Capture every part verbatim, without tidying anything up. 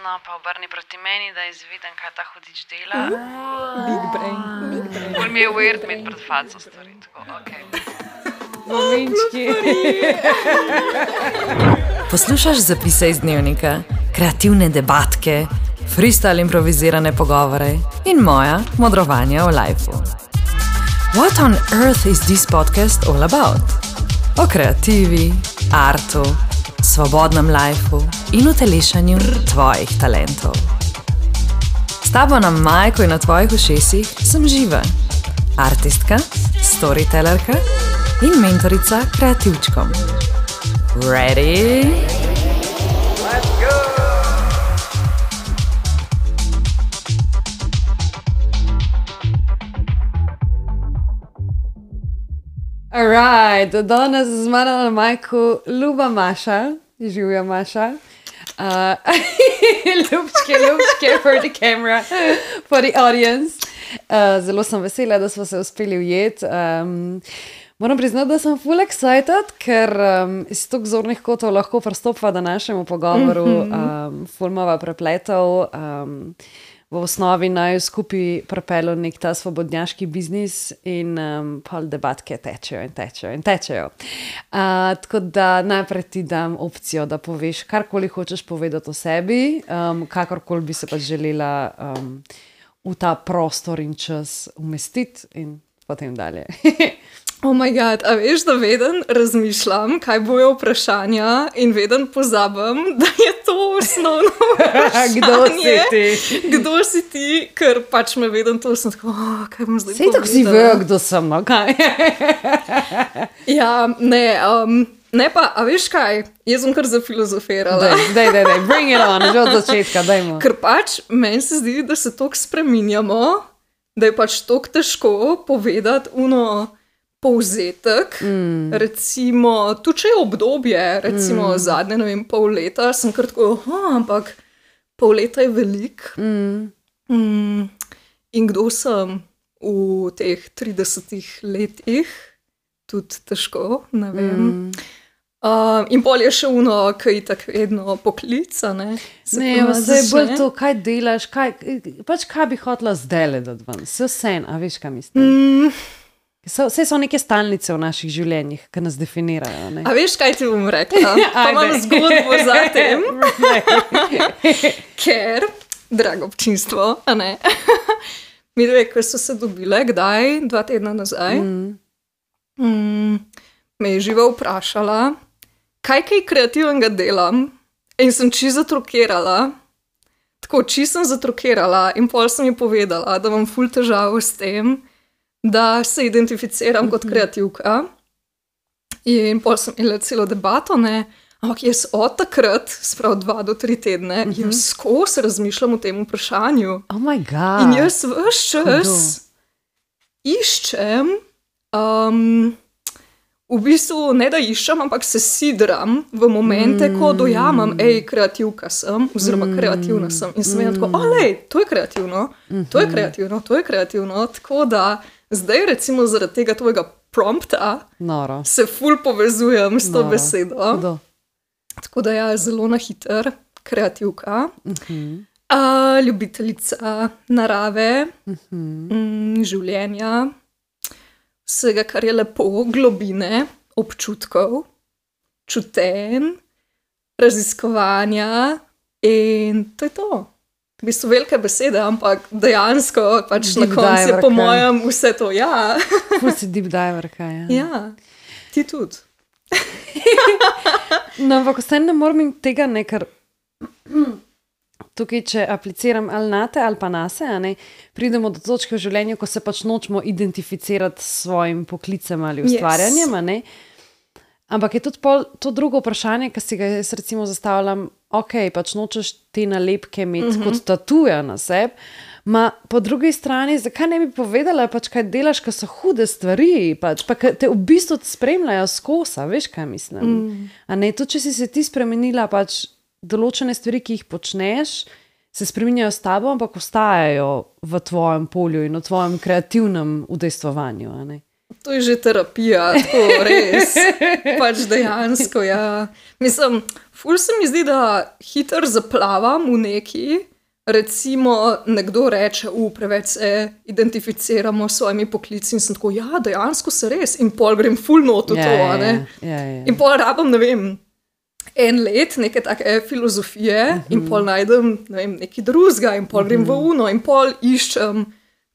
No, pa obrni proti meni, da izviden, kaj ta hudič dela. Big brain, big brain. Bolj mi je weird imeti pred faco stvari, tako, okej. Mominčki. Poslušaš zapise iz dnevnika, kreativne debatke, freestyle improvizirane pogovore in moja modrovanja o lifeu. What on earth is this podcast all about? O kreativi, artu, svobodnem lifeu in utelešanju tvojih talentov. S tabo na majku in na tvojih ušesih sem Živa, artistka, storytellerka in mentorica kreativčkom. Ready? Let's go! Alright, danes z mano na majku ljuba Maša, živja Maša. Uh, ljubčke, ljubčke for the camera, for the audience. Uh, zelo sem vesela, da smo se uspeli ujeti. Um, moram priznati, da sem full excited, ker um, iz tog zornih kotov lahko pristopva današnjemu pogovoru, um, full mava prepletov. Um, v osnovi naj skupaj prepelo nek ta svobodnjaški biznis in um, pol debatke tečejo in tečejo in tečejo. Uh, tako da najprej ti dam opcijo, da poveš karkoli hočeš povedati o sebi, um, kakorkoli bi se pa želela um, v ta prostor in čas umestiti in potem dalje. Oh my god, a veš, da veden razmišljam, kaj bojo vprašanja in veden pozabim, da je to osnovno vprašanje. Kdo si ti? Kdo si ti, ker pač me veden to sem tako, oh, kaj bom zdaj povedala. Sej tako si vejo, kdo sem, no kaj? Ja, ne, um, ne pa, a veš kaj, jaz sem kar zafilozofirala. Daj, daj, daj, bring it on, že od začetka, dajmo. Ker pač meni se zdi, da se toliko spreminjamo, da je pač toliko težko povedati uno povzetek, mm. recimo, tu če je obdobje, recimo mm. zadnje, ne vem, pol leta, sem kar tako, ampak pol leta je velik. Mm. Mm. In kdo sem v teh tridesetih letih, tudi težko, ne vem. Mm. Uh, in pol je še uno, ki je tako vedno poklica, ne? Se ne, vse je bolj to, kaj delaš, kaj, pač kaj bi hotela zdaj ledati ven, vse vsem, a veš, kaj mislim? Mm. So, vse so neke stalnice v naših življenjih, ki nas definirajo. Ne? A veš, kaj ti bom rekla? Pa imam zgodbo za tem. Ker, drago občinstvo, a ne? Mi dve, ko so se dobile, kdaj? Dva tedna nazaj. Mm. Mm, me je Živa vprašala, kaj kaj kreativnega delam in sem čisto zatrokirala. Tako, čisto sem zatrokirala in pol sem ji povedala, da imam ful težavo s tem, da se identificiram kot kreativka. In pol sem imela celo debato, ne, ampak jaz od takrat, sprav dva do tri tedne, uh-huh. jaz skozi razmišljam o tem vprašanju. Oh my god. In jaz ves čas Hudo. iščem, um, v bistvu ne da iščem, ampak se sidram v momente, mm. ko dojamem, ej, kreativka sem, oziroma kreativna sem. In sem mm. tako, olej, to je kreativno, mm-hmm. to je kreativno, to je kreativno, tako da zdaj, recimo, zaradi tega tvojega prompta Noro. se ful povezujem s to Noro. besedo. Hudo. Tako da ja, zelo na hiter, kreativka, Mm-hmm. uh, ljubiteljica narave, Mm-hmm. mm, življenja, vsega, kar je lepo, globine, občutkov, čutenj, raziskovanja in to je to. V bistvu velike besede, ampak dejansko pač deep na koncu je po mojem vse to, ja. Ful si deep diver, kaj, ja. Ja, ti tudi. No, ampak vse ne moram tega ne, ker tukaj, če apliciram ali na te ali pa na se, a ne, pridemo do točke v življenju, ko se pač nočemo identificirati s svojim poklicem ali ustvarjanjem, yes. a ne. Ampak je tudi pol, to drugo vprašanje, ki si ga jaz recimo zastavljam, ok, pač nočeš te nalepke imeti mm-hmm. kot tatuja na sebi, ma po drugi strani, zakaj ne bi povedala, pač kaj delaš, ko so hude stvari, pač, pa te v bistvu spremljajo skosa, veš, kaj mislim. Mm. A ne, to, če si se ti spremenila, pač določene stvari, ki jih počneš, se spreminjajo s tabo, ampak ostajajo v tvojem polju in v tvojem kreativnem udejstvovanju, a ne. To je že terapija, tako res. Pač dejansko, ja. Mislim, ful se mi zdi, da hiter zaplavam v neki, recimo nekdo reče, u, preveč se identificiramo s svojimi poklici in sem tako, ja, dejansko se res, in pol grem ful not v Ja, to, ja, a ne. ja, ja, ja. In pol rabim, ne vem, en let neke take filozofije uh -huh. in pol najdem, ne vem, neki drugega in pol grem uh -huh. v uno in pol iščem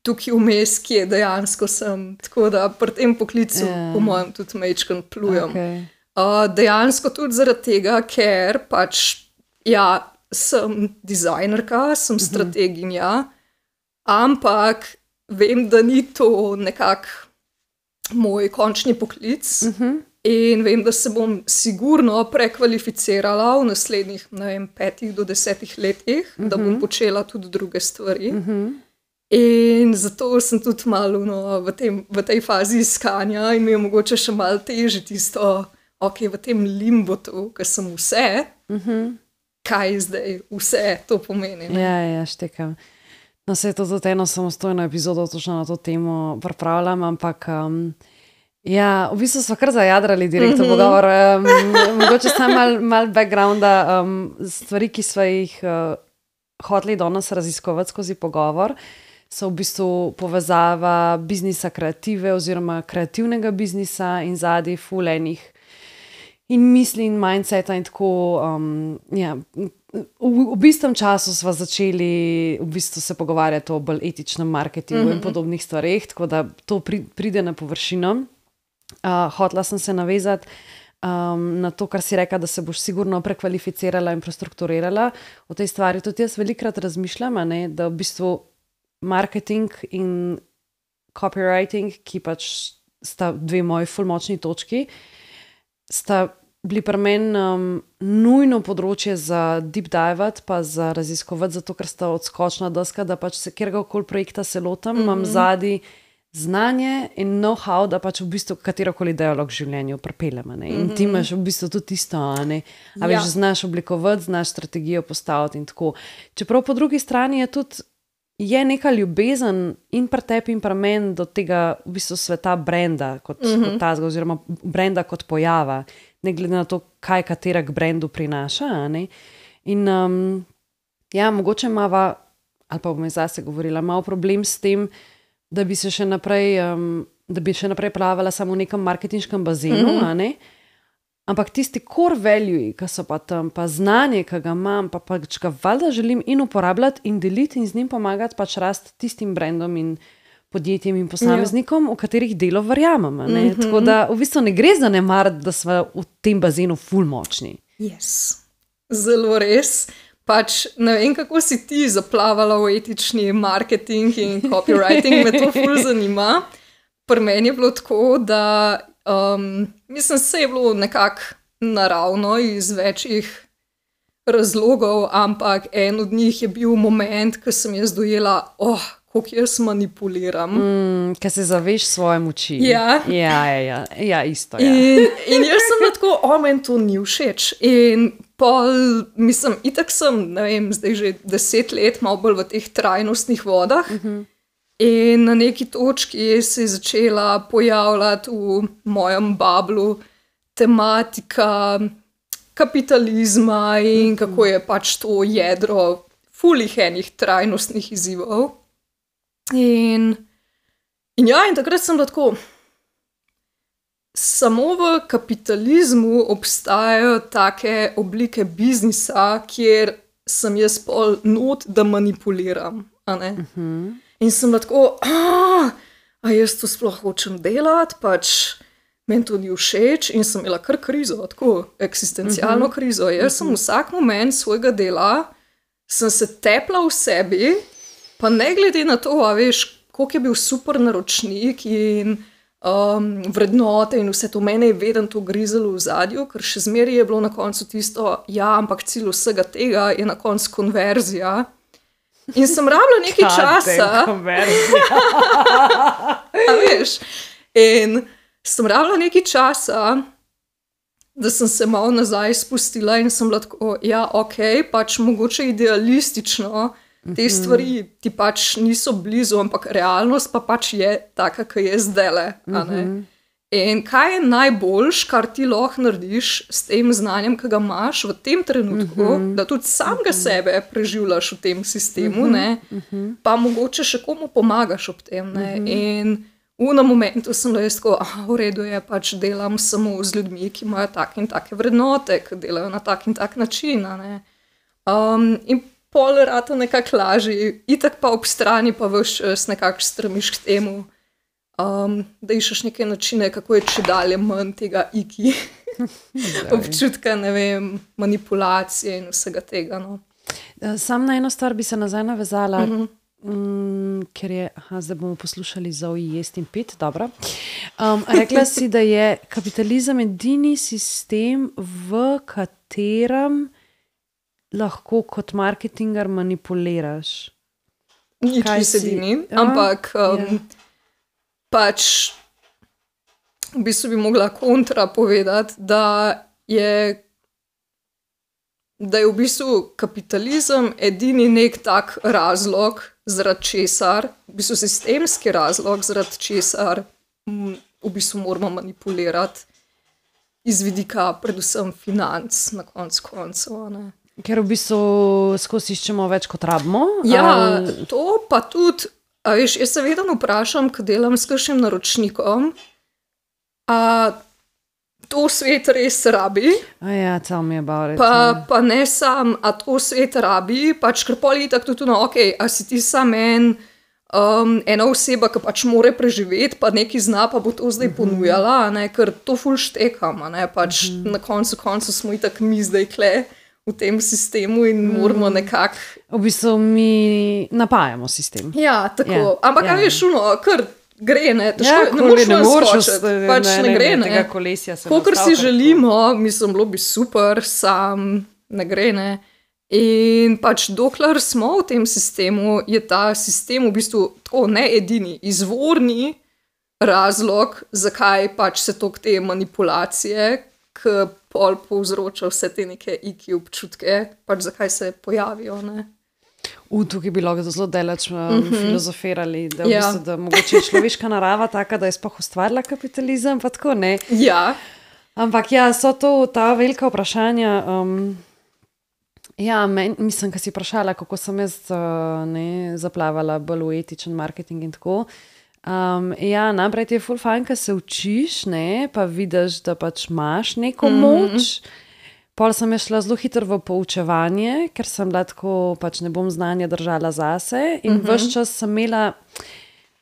tukaj vmes, kje dejansko sem. Tako da pri tem poklicu, Ja. po mojem, tudi majčkeno plujem. Okay. Uh, dejansko tudi zaradi tega, ker pač, ja, sem dizajnerka, sem strateginja, ampak vem, da ni to nekako moj končni poklic Uh -huh. in vem, da se bom sigurno prekvalificirala v naslednjih, ne vem, petih do desetih letih, uh -huh. da bom počela tudi druge stvari. Uh -huh. In zato sem tudi malo no, v, tem, v tej fazi iskanja in mi je mogoče še malo težje tisto, ok, v tem limbotu, ker sem vse, Uh -huh. kaj zdaj vse to pomeni. Ne? Ja, ja, štekam. No, se je to tudi eno samostojno epizodo točno na to temo pripravljam, ampak um, ja, v bistvu smo kar zajadrali direkt v pogovor. Um, mogoče samo malo mal backgrounda, um, stvari, ki smo jih uh, hoteli danes raziskovati skozi pogovor, so v bistvu povezava biznisa kreative oziroma kreativnega biznisa in zadaj fulenih in misli in mindseta in tako, um, ja, v, v bistvu času smo začeli v bistvu se pogovarjati o bolj etičnem marketingu mm-hmm. in podobnih stvareh, tako da to pri, pride na površino. Uh, hotla sem se navezati um, na to, kar si rekla, da se boš sigurno prekvalificirala in prestrukturirala. O tej stvari tudi jaz velikrat razmišljam, a ne, da v bistvu marketing in copywriting, ki pač sta dve moji ful močni točki, sta bili pri meni um, nujno področje za deep dive, pa za raziskovati, zato ker sta odskočna deska, da pač se kjerkoli projekta se lotam, mm-hmm. imam zadnji znanje in know-how, da pač v bistvu katerokoli dialog v življenju pripeljem. In mm-hmm. ti imaš v bistvu tudi isto, a ne? A veš, Ja. znaš oblikovati, znaš strategijo postaviti in tako. Čeprav po drugi strani je tudi je neka ljubezen in pri tebi in pri meni do tega v bistvu sveta brenda kot, mm-hmm. kot tazga, oziroma brenda kot pojava, ne glede na to, kaj katera k brendu prinaša. a Ne? In um, ja, mogoče imava, ali pa bom zase govorila, malo problem s tem, da bi se še naprej, um, da bi še naprej plavala samo v nekem marketinškem bazenu, mm-hmm. a ne? Ampak tisti core value, ki so pa tam, pa znanje, ki ga imam, pa pač ga valjda želim in uporabljati in deliti in z njim pomagati pač rast tistim brandom in podjetjem in posameznikom, ja. v katerih delo verjamem. a Ne? Mm-hmm. Tako da v bistvu ne gre za nemar, da smo v tem bazenu ful močni. Yes. Zelo res. Pač ne vem, kako si ti zaplavala v etični marketing in copywriting, me to ful zanima. Pri meni je bilo tako, da um, mislim, se je bilo nekako naravno iz večjih razlogov, ampak en od njih je bil moment, ko sem jaz dojela, oh, kako jaz manipuliram. Mm, ker se zaveš svoje moči. Ja. Ja, ja, ja. ja isto. Ja. In, in jaz sem bila tako, o, meni to ni všeč. In pol, mislim, itak sem, ne vem, zdaj že deset let, malo bolj v teh trajnostnih vodah. Uh-huh. In na neki točki se je začela pojavljati v mojem bablu tematika kapitalizma in kako je pač to jedro fulih enih trajnostnih izzivov. In, in ja, in takrat sem bila tako, samo v kapitalizmu obstajajo take oblike biznisa, kjer sem jaz pol not, da manipuliram, a ne? Uh-huh. In sem bila tako, a, a jaz to sploh hočem delati, pač meni to ni všeč in sem imela kar krizo, tako eksistencialno uh-huh. krizo. Jaz uh-huh. sem vsak moment svojega dela, sem se tepla v sebi, pa ne glede na to, a veš, koliko je bil super naročnik in um, vrednote in vse to, mene je vedno to grizalo v zadju, ker še zmeraj je bilo na koncu tisto, ja, ampak cilj vsega tega je na koncu konverzija. In sem rabila nekaj časa. A veš, in sem rabila nekaj časa, da sem se malo nazaj spustila in sem bila tako, ja, ok, pač mogoče idealistično, te stvari ti pač niso blizu, ampak realnost pa pač je taka, ki je zdajle, a ne. In kaj je najboljš, kar ti lahko narediš s tem znanjem, ki ga imaš v tem trenutku, uh -huh. da tudi samega sebe preživljaš v tem sistemu, uh -huh. ne, uh -huh. pa mogoče še komu pomagaš ob tem. Ne, uh -huh. In v enem momentu sem le tako, ah, v redu je, pač delam samo z ljudmi, ki imajo take in take vrednote, ki delajo na tak in tak način. Ne. Um, in pol rata nekako lažji, itak pa ob strani pa veš čas nekako stremiš k temu, um, da iščeš neke načine, kako je če dalje manj tega iki, občutka, ne vem, manipulacije in vsega tega. No. Sam na eno stvar bi se nazaj navezala, uh -huh. Mm, ker je, aha, zdaj bomo poslušali za ujest in pit, dobro. Um, rekla si, da je kapitalizem edini sistem, v katerem lahko kot marketinger manipuliraš. Nič ni sedini, ampak um, yeah. pač v bistvu bi mogla kontra povedati, da je da je v bistvu kapitalizem edini nek tak razlog, zaradi česar, v bistvu sistemski razlog, zaradi česar m, v bistvu moramo manipulirati iz vidika predvsem financ na koncu koncev. Ne. Ker v bistvu skozi iščemo več kot rabimo? Ja, ali... to pa tudi, a veš, jaz se vedno vprašam, ko delam s kakšnim naročnikom, a to svet res rabi. Ja, tell me about it. Pa, pa ne sam, a to svet rabi, pač ker pol itak tudi, no, ok, a si ti sam en, um, ena oseba, ki pač more preživeti, pa neki zna, pa bo to zdaj uh -huh. ponujala, ne, ker to ful štekam, ne, pač uh -huh. na koncu koncu smo itak mi zdaj kle v tem sistemu in uh -huh. moramo nekako... V bistvu mi napajamo sistem. Ja, tako, yeah. ampak yeah. a veš, uno, kar... gre, ne, težko, ja, ne moreš ne skočiti, pač ne, ne gre, ne, kakor si želimo, mislim, bilo bi super, sam ne gre, ne, in pač dokler smo v tem sistemu, je ta sistem v bistvu tako ne edini, izvorni razlog, zakaj pač se tok te manipulacije, ki pol povzroča vse te neke iki občutke, pač zakaj se pojavijo, ne. U, tukaj bi lahko zelo delač um, mm -hmm. filozofirali, da, v ja. bistvu, da mogoče je človeška narava taka, da je sploh ustvarila kapitalizem, pa tako ne. Ja. Ampak ja, so to ta velika vprašanja. Um, ja, men, mislim, kad si vprašala, kako sem jaz uh, ne, zaplavala bolj v etičen marketing in tako. Um, ja, naprej ti je ful fajn, kad se učiš, ne, pa vidiš, da pač imaš neko mm -hmm. moč. Pol sem je šla zelo hitro v poučevanje, ker sem bila tako, pač ne bom znanja držala zase in uh-huh. ves čas sem imela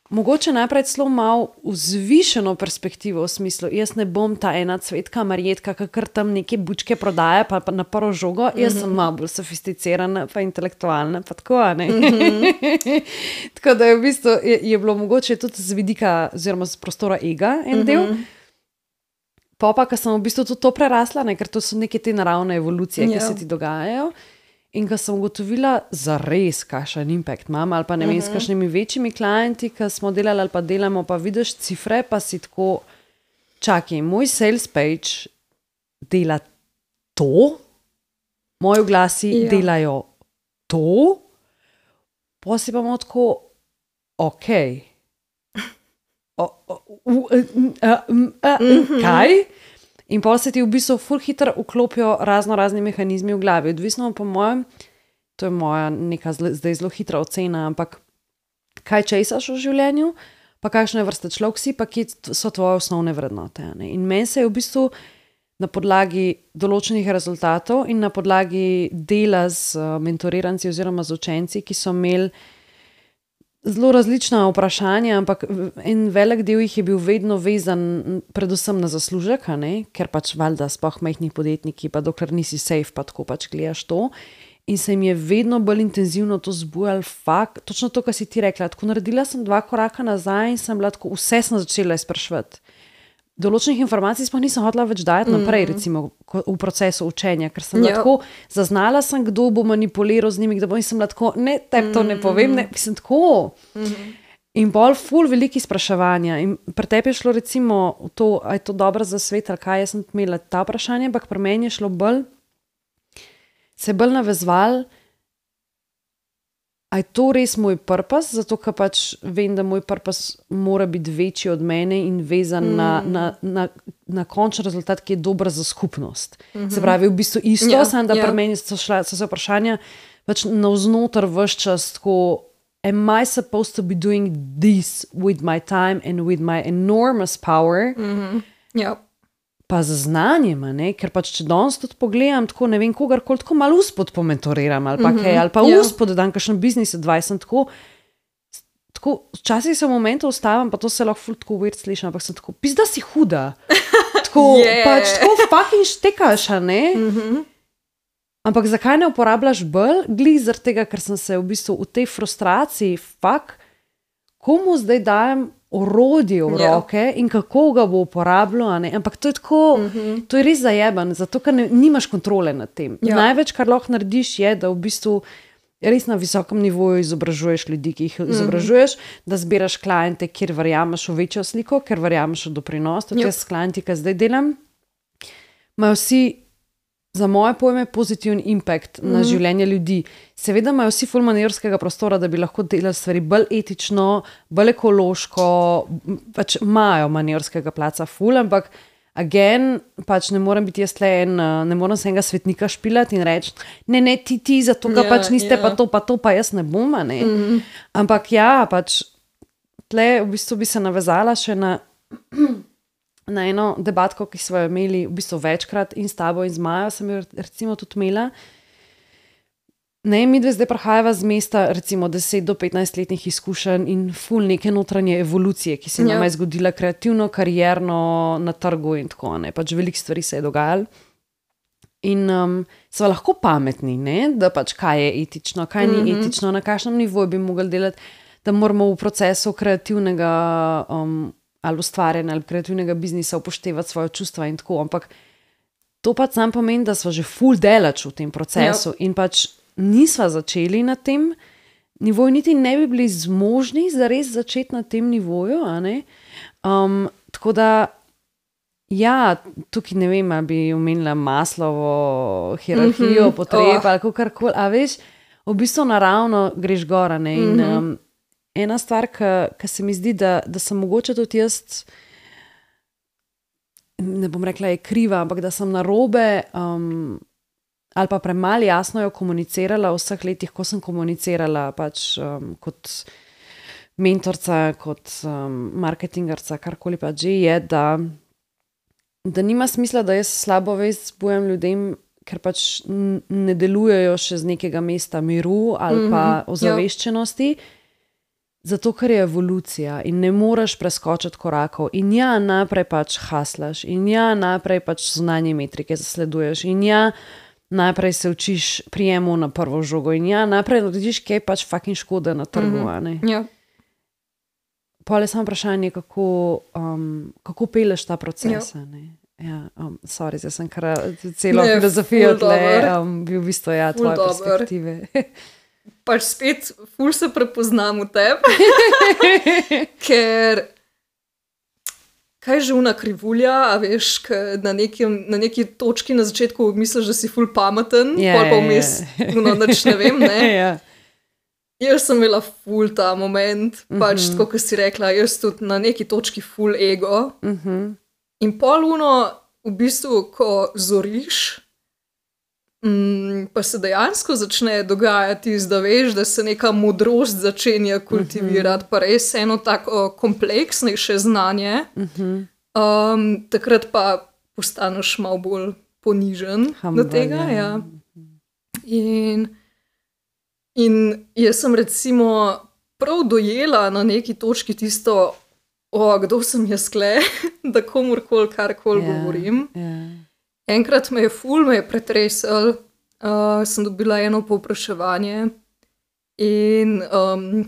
mogoče najprej celo malo vzvišeno perspektivo v smislu, jaz ne bom ta ena cvetka marjetka, kakor tam neke bučke prodaja, pa, pa na prvo žogo, uh-huh. jaz sem malo bolj sofisticirana, pa intelektualna, pa tako, ne. Uh-huh. Tako da je v bistvu, je, je bilo mogoče tudi z vidika, oziroma z prostora ega en uh-huh. del. Pa pa, ko sem v bistvu tudi to prerasla, ne, ker to so neke te naravne evolucije, yeah. ki se ti dogajajo. In ko sem ugotovila za res, kakšen impact imam, ali pa ne vem, uh-huh. s kakšnimi večjimi klienti, ki smo delali ali pa delamo, pa vidiš cifre, pa si tako, čakaj, moj sales page dela to, moji oglasi yeah. delajo to, pa si pa imamo tako, ok, O, o, u, uh, uh, uh, uh, kaj? In pol se ti v bistvu ful hitro vklopijo razno razni mehanizmi v glavi. Odvisno po mojem, to je moja neka zdaj zelo hitra ocena, ampak kaj česaš v življenju, pa kakšne vrste človek si, pa kje so tvoje osnovne vrednote. Ne? In meni se je v bistvu na podlagi določenih rezultatov in na podlagi dela z uh, mentoriranci oziroma z učenci, ki so imeli zelo različna vprašanja, ampak en velik del jih je bil vedno vezan predvsem na zaslužek, ne? Ker pač valjda sploh majhni podjetniki, pa dokler nisi safe, pa tako pač gledaš to. In se jim je vedno bolj intenzivno to zbujal fakt, točno to, kar si ti rekla. Tako naredila sem dva koraka nazaj in sem bila tako, vse sem začela izpraševati. Določenih informacij sploh nisem hotela več dajati naprej, mm-hmm. recimo v procesu učenja, ker sem bila tako, zaznala sem, kdo bo manipuliral z njimi, kdo bo, in sem bila tako, ne, tebi to ne povem, ne, sem tako. Mm-hmm. In bolj ful veliki spraševanja. In pri tebi je šlo recimo to, a je to dobro za svet, ali kaj, jaz sem imela ta vprašanja, ampak pri meni je šlo bolj, se je bolj navezval, a a je to res moj purpose, zato ker pač vem, da moj purpose mora biti večji od mene in vezan mm. na, na, na, na končni rezultat, ki je dober za skupnost. Mm-hmm. Se pravi, v bistvu isto, yeah, samo da yeah. pri meni so, šla, so se vprašanja pač navznoter vse čas tako, am I supposed to be doing this with my time and with my enormous power? Mm-hmm. Yeah. Pa z znanjem, ne? Ker pač če danes tudi pogledam, tako ne vem, kogarkoli tako malo uspod pomentoriram ali pa mm-hmm. kaj, ali pa yeah. uspod dodam kakšen biznis advice, tako, tako, včasih se v momentu ustavim, pa to se lahko ful tako weird slišim, ampak sem tako, pizda si huda. Tako, yeah. pač tako fucking štekaš, a ne? Mm-hmm. Ampak zakaj ne uporabljaš bolj? Glih zaradi tega, ker sem se v bistvu v tej frustraciji, fuck, komu zdaj dajem orodje v roke yeah. in kako ga bo uporabljal, ampak to je tako, mm-hmm. to je res zajeben, zato ker ne, nimaš kontrole nad tem. Yeah. Največ, kar lahko narediš, je, da v bistvu res na visokem nivoju izobražuješ ljudi, ki jih mm-hmm. izobražuješ, da zbiraš kliente, kjer verjameš v večjo sliko, ker verjameš v doprinos. Tudi yep. jaz s klienti, ki zdaj delam, imajo vsi za moje pojme pozitiven impact mm-hmm. na življenje ljudi. Seveda imajo vsi ful manevrskega prostora, da bi lahko delali stvari bolj etično, bolj ekološko, pač imajo manevrskega placa ful, ampak again, pač ne morem biti jaz tle en, ne morem se enega svetnika špilati in reči, ne, ne, ti, ti, zato ga yeah, pač niste yeah. pa to, pa to, pa jaz ne bom, ne. Mm-hmm. Ampak ja, pač tle v bistvu bi se navezala še na na eno debatko, ki smo jo imeli v bistvu večkrat in s tabo in z Majo sem jo recimo tudi imela. Ne, mi dve zdaj prihajava z mesta recimo deset do petnajst letnih izkušenj in ful neke notranje evolucije, ki se nam je zgodila kreativno, karierno, na trgu in tako, ne, pač veliko stvari se je dogajalo. In um, sva lahko pametni, ne, da pač kaj je etično, kaj ni mm-hmm. etično, na kakšnem nivoju bi mogli delati, da moramo v procesu kreativnega um, ali ustvarjanja ali kreativnega biznisa upoštevati svoje čustva in tako, ampak to pač sam pomeni, da sva že ful delač v tem procesu yep. in pač nisva začeli na tem nivoju, niti ne bi bili zmožni zares začeti na tem nivoju, a ne? Um, tako da ja, tukaj ne vem, ali bi omenila Maslovo hierarhijo mm-hmm. potreb oh. ali kakorkoli, a veš, v bistvu naravno greš gor, ne, in mm-hmm. um, ena stvar, ki se mi zdi, da, da sem mogoče tudi jaz, ne bom rekla, je kriva, ampak da sem narobe um, ali pa premalo jasno jo komunicirala v vseh letih, ko sem komunicirala pač um, kot mentorca, kot um, marketingarca, karkoli pa že je, da, da nima smisla, da jaz slabo vest zbujam ljudem, ker pač ne delujejo še z nekega mesta miru ali mm-hmm. pa ozaveščenosti, yep. Zato, ker je evolucija in ne moreš preskočiti korakov in ja, naprej pač haslaš in ja, naprej pač zunanje metrike zasleduješ in ja, naprej se učiš prijemu na prvo žogo in ja, naprej narediš kaj pač fucking škode na trgu, mm-hmm. ne? Ja. Pol je samo vprašanje, kako, um, kako peleš ta proces, ja. ne? Ja, um, sorry, zdaj sem kar celo ne, filozofijo tle, um, bi v bistvu ja, tvoje dober. Perspektive. Pač spet ful se prepoznam v tebi, ker kaj je že una krivulja, a veš, na, nekim, na neki točki na začetku misliš, da si ful pameten, yeah, pol pa vmes, yeah. no, nič ne vem, ne. yeah. Jaz sem imela ful ta moment, pač mm-hmm. tako, kot si rekla, jaz tudi na neki točki ful ego. Mm-hmm. In pol uno, v bistvu, ko zoriš, Mm, pa se dejansko začne dogajati, da veš, da se neka modrost začenja kultivirati, uh-huh. pa res eno tako kompleksnejše znanje, uh-huh. um, takrat pa postaneš malo bolj ponižen Humble, do tega. Ja. In, in jaz sem recimo prav dojela na neki točki tisto, o, kdo sem jaz kle, da komorkoli karkoli yeah, govorim. Yeah. Enkrat me je ful, me je pretresel, uh, sem dobila eno povpraševanje in um,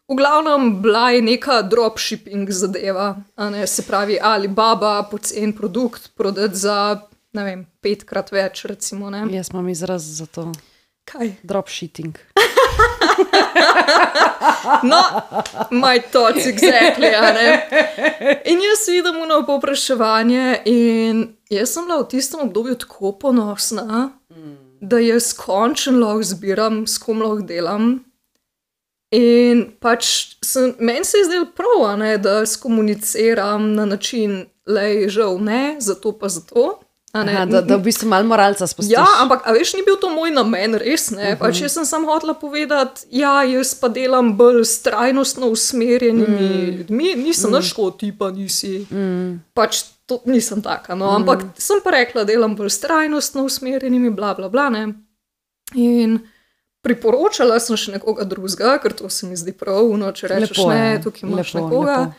v glavnem bila je neka dropshipping zadeva, a ne, se pravi Alibaba, pocen produkt, prodati za, ne vem, petkrat več, recimo, ne. Jaz imam izraz za to. Kaj? Dropshipping. No, my thoughts exactly, a ne. In jaz vidim ono povpraševanje in jaz sem bila v tistem obdobju tako ponosna, mm. da jaz končno lahko zbiram, s kom lahko delam In pač sem, meni se je zdelo prav, a ne, da skomuniciram na način, lej, žal ne, zato pa zato. a ne. Aha, da, da v bistvu malo moralca spustiš. Ja, ampak a veš, ni bil to moj namen, res ne. Pač jaz sem samo hotela povedati, ja, jaz pa delam bolj s trajnostno usmerjenimi Mm. ljudmi, nisem Mm. nič tako tipa, nisi. Mm. Pač to nisem taka, no, ampak sem pa rekla, delam bolj s trajnostno usmerjenimi, bla, bla, bla, ne. In priporočala sem še nekoga drugega, ker to se mi zdi prav, no, če rečeš Lepo je, ne, tukaj imaš lepo, nekoga. lepo.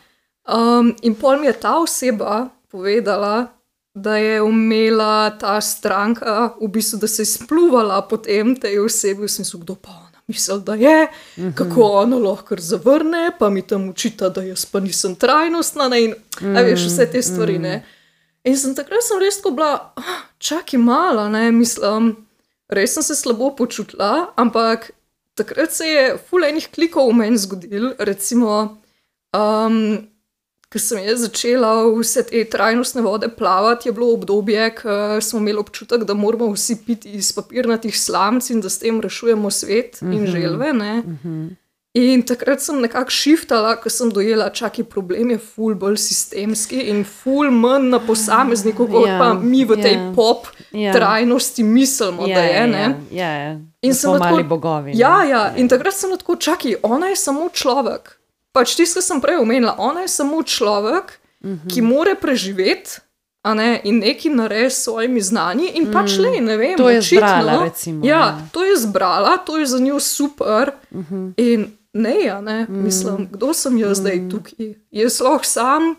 Um, in pol mi je ta oseba povedala, da je imela ta stranka, v bistvu, da se je spluvala potem tej osebi, v smislu, kdo pa ona misli, da je, Mhm. kako ona lahko kar zavrne, pa mi tam učita, da jaz pa nisem trajnostna, ne, in a veš, vse te stvari, ne. In sem takrat sem res tako bila, "Ah, čakaj malo, ne, mislim, res sem se slabo počutila, ampak takrat se je ful enih klikov v meni zgodil, recimo, um, ko sem jaz začela vse te trajnostne vode plavati, je bilo obdobje, ko smo imeli občutek, da moramo vsi piti iz papirnatih slamc in da s tem rešujemo svet in želve, ne. In takrat sem nekako shiftala, ko sem dojela, čakaj, problem je ful bolj sistemski in ful manj na posamezniku, kot Ja, pa mi v tej ja. pop Ja. trajnosti mislimo, da je, ne. Ja, ja. In Da sem smo tako- mali bogovi. ne. Ja, ja, in takrat sem tako, čakaj, ona je samo človek. Pač tisto, kar sem prej omenila, ona je samo človek, ki more preživeti, a ne, in nekaj narediti s svojimi znanji in pač le, ne vem, To je očitno, zbrala, recimo, Ja, ja. to je zbrala, to je za njo super in ne, a ne, mislim, kdo sem jaz zdaj tukaj? Jaz lahko sam,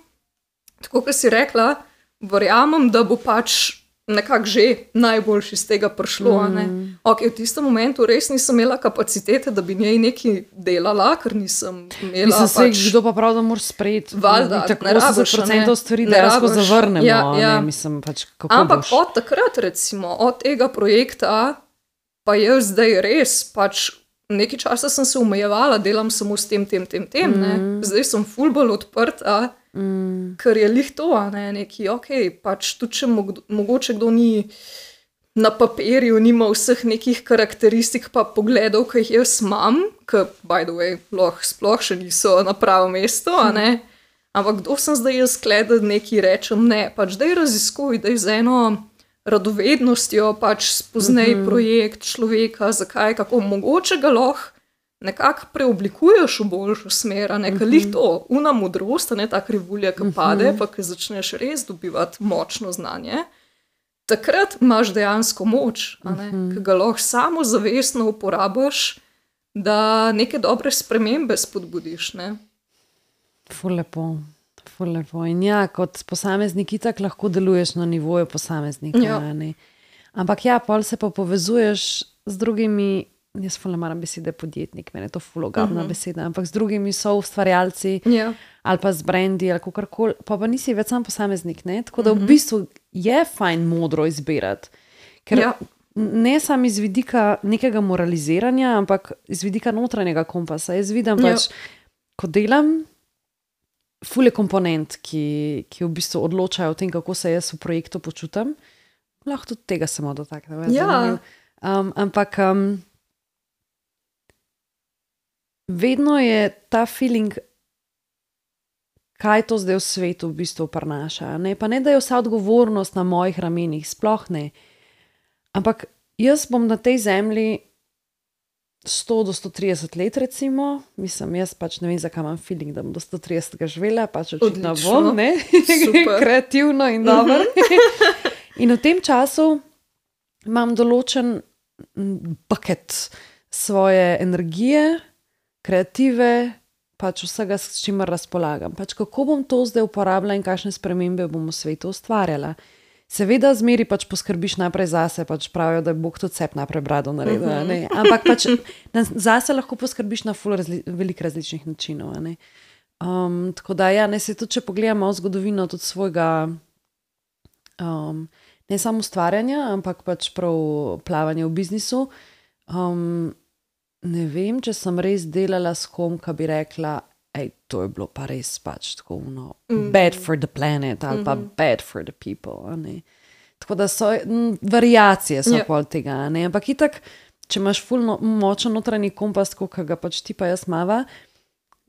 tako kot si rekla, verjamem, da bo pač nekako že najboljši iz tega prišlo. a ne. Ok, v tistem momentu res nisem imela kapacitete, da bi njej nekaj delala, ker nisem imela Mislim, se, pač... kdo pa prav, da moraš sprejeti Valjda, tako ne rabiš, osemdeset a ne. procentov stvari, Ne dejansko rabiš. zavrnemo. Ja, a ja. Ne, mislim, pač, kako Ampak boš? od takrat, recimo, od tega projekta, pa jaz zdaj res, pač nekaj časa sem se omejevala, delam samo s tem, tem, tem, tem, ne. Zdaj sem ful bolj odprta, Mm. ker je lih to, a ne, neki, ok, pač tudi če mo mogoče kdo ni na papirju, nima vseh nekih karakteristik pa pogledov, ki jih jaz imam, ki, by the way, lahko sploh še niso na pravem mestu, a ne, ampak kdo sem zdaj jaz kle, da nekaj rečem, ne, pač daj raziskuj, daj z eno radovednostjo, pač spoznaj mm -hmm. projekt človeka, zakaj, kako mogoče ga lahko nekako preoblikuješ v boljšo smer, a ne, ker lih to, una modrost, a ne, ta krivulja, ki pade, pa ki začneš res dobivati močno znanje, takrat imaš dejansko moč, a ne, ki ga lahko samo zavestno uporabiš, da neke dobre spremembe spodbudiš, ne. Ful lepo. Ful lepo. In ja, kot posameznik itak lahko deluješ na nivoju posameznika. Ja. a ne. Ampak ja, pol se pa povezuješ z drugimi, jaz ful ne maram besede podjetnik, meni je to ful ogabna uh-huh. beseda, ampak z drugimi so ustvarjalci Ja. ali pa z brendi ali kakorkoli, pa pa nisi več sam posameznik, ne? Tako da v bistvu je fajn modro izbirati. Ker Ja. ne samo iz vidika nekega moraliziranja, ampak iz vidika notranjega kompasa. Jaz vidim Ja. pač, ko delam, ful je komponent, ki, ki v bistvu odločajo o tem, kako se jaz v projektu počutim. Lahko tudi tega samo dotaknem. je Ja. zanimivo. Um, ampak um, vedno je ta feeling, kaj to zdaj v svetu v bistvu prinaša. Ne? Pa ne, da je vsa odgovornost na mojih ramenih, sploh ne. Ampak jaz bom na tej zemlji sto do sto trideset let, recimo, mislim, jaz pač ne vem, zakaj imam feeling, da bom do sto trideset živela, pač očitno Odlično. bom, ne, Super. kreativno in dobro. In v tem času imam določen mm, bucket svoje energije, kreative, pač vsega, s čimer razpolagam. Pač kako bom to zdaj uporabljala in kakšne spremembe bom v svetu ustvarjala. Seveda, zmeri pač poskrbiš najprej zase, pač pravijo, da je Bog tudi sep najprej brado naredil, a ne. Ampak pač na, zase lahko poskrbiš na ful razli, veliko različnih načinov, a ne. Um, tako da, ja, ne se tudi, če pogledamo zgodovino tudi svojega, um, ne samo ustvarjanja, ampak pač prav plavanja v biznisu. Um, ne vem, če sem res delala s kom, ki bi rekla, ej, to je bilo pa res pač tako, no, mm. bad for the planet ali pa mm-hmm. bad for the people, a ne. Tako da so, m, variacije so Ja. yeah. pol tega, a ne, ampak itak, če imaš ful no, močen notranji kompas, kot ga pač ti pa jaz mava,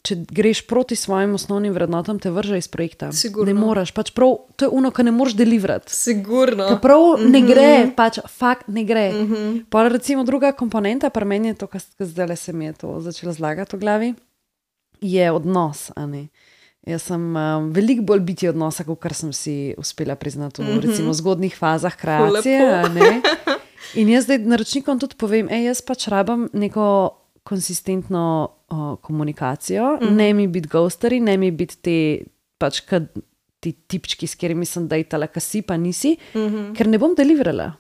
če greš proti svojim osnovnim vrednotam, te vrže iz projekta. Sigurno. Ne moreš, pač prav, to je ono, kar ne moreš deliverati. Sigurno. Ker prav mm-hmm. ne gre, pač fakt ne gre. Mm-hmm. Pa recimo druga komponenta, pri meni je to, kar zdaj se mi je to začelo zlagati v glavi, je odnos, a ne. Jaz sem um, veliko bolj biti odnosa, kot kar sem si uspela priznati v mm-hmm. recimo zgodnih fazah kreacije. A ne? In jaz zdaj naročnikom tudi povem, ej, jaz pač rabam neko konsistentno uh, komunikacijo, mm-hmm. ne mi biti ghosteri, ne mi biti te pač kad, ti tipčki, s katerimi sem dejtala, ka si pa nisi, mm-hmm. ker ne bom deliverala.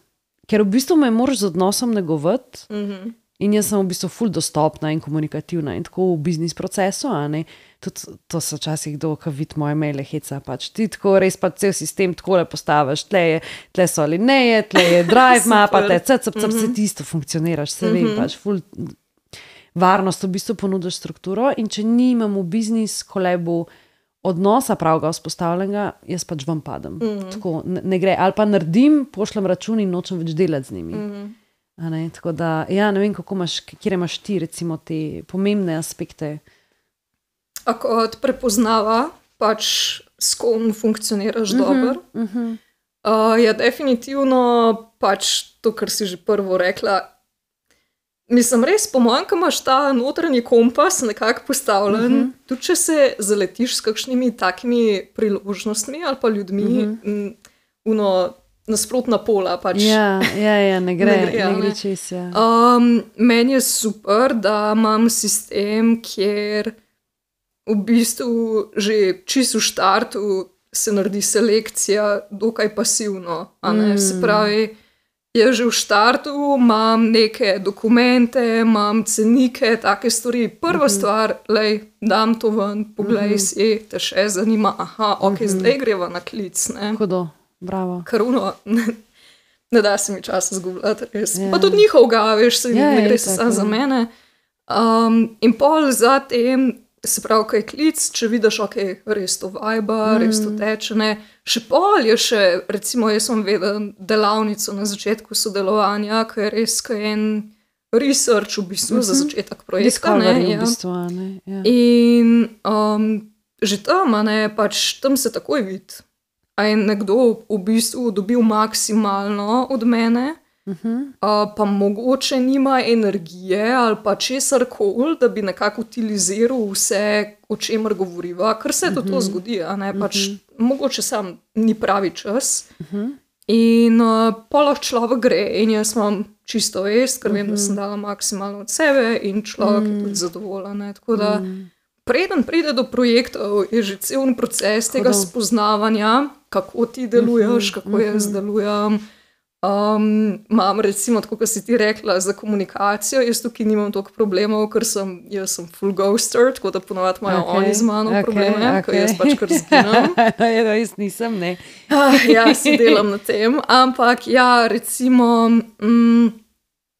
Ker v bistvu me moraš z odnosom negovati mm-hmm. in jaz sem v bistvu ful dostopna in komunikativna in tako v biznis procesu, a ne. Tudi to so včasih kdo, ki vidi moje maile heca, pač ti tako res pa cel sistem takole postaviš, tle, je, tle so alineje, tle je drive mapa, tle cep, cep, cep, vse tisto funkcioniraš, se vem, pač ful varnost v bistvu ponudiš strukturo in če nimam v biznis kolebu odnosa pravega vzpostavljenega, jaz pač vam padem. Mm-hmm. Tako ne, ne gre, ali pa naredim, pošljem račun in nočem več delati z njimi. Mm-hmm. A ne, tako da, ja, ne vem, kako imaš, kjer imaš ti recimo te pomembne aspekte. A kot prepoznava, pač s kom funkcioniraš uh-huh, dobro. Uh-huh. Uh, ja, definitivno pač to, kar si že prvo rekla. Mislim, res, po mojem, ko imaš ta notranji kompas nekako postavljen, uh-huh. tudi če se zaletiš s kakšnimi takimi priložnostmi ali pa ljudmi, uh-huh. uno, nasprotna pola. Pač, ja, ja, ja, ne gre, ne gre, ne gre čez. Ja. Um, meni je super, da imam sistem, kjer v bistvu že čisto v štartu se naredi selekcija dokaj pasivno. A ne? Mm. Se pravi, jaz že v štartu imam neke dokumente, imam cenike, take stvari. Prva mm-hmm. stvar, lej, dam to ven, poglej mm-hmm. si, te še zanima, aha, ok, mm-hmm. zdaj greva na klic. Ne? Hudo, bravo. Karuno, ne, ne da se mi časa zgubljati, res. Yeah. Pa tudi njihov ga, veš, se yeah, ne gre se samo za mene. Um, in pol zatem, se pravi, kaj je klic, če vidiš, ok, res to vajba, mm. res to teče, ne. Še pol je še, recimo, jaz sem vedel delavnico na začetku sodelovanja, ki je res kaj en research v bistvu mm-hmm. za začetek projekta, ne. Ja. V bistvu, ne? Ja. In um, že tam, ne, pač tam se takoj vidi, a je nekdo v bistvu dobil maksimalno od mene, Uh-huh. Uh, pa mogoče nima energije ali pa česar koli, da bi nekako utiliziral vse, o čemer govoriva, ker se to, uh-huh. to zgodi, a ne, pač uh-huh. mogoče sam ni pravi čas. Uh-huh. In uh, pa lahko človek gre in jaz imam čisto vest, ker uh-huh. vem, da sem dala maksimalno od sebe in človek uh-huh. je tudi zadovoljen. Tako da uh-huh. preden pride do projektov, je že cel proces tega Hodo. spoznavanja, kako ti deluješ, uh-huh. kako uh-huh. jaz delujem. Um, imam recimo, tako kot si ti rekla, za komunikacijo, jaz tukaj nimam toliko problemov, ker sem, jaz sem full ghoster, tako da ponovadi imajo okay, oni z mano okay, probleme, okay. ko jaz pač kar zginam. Ja, jaz nisem, ne. ah, ja, se delam na tem, ampak ja, recimo, mm,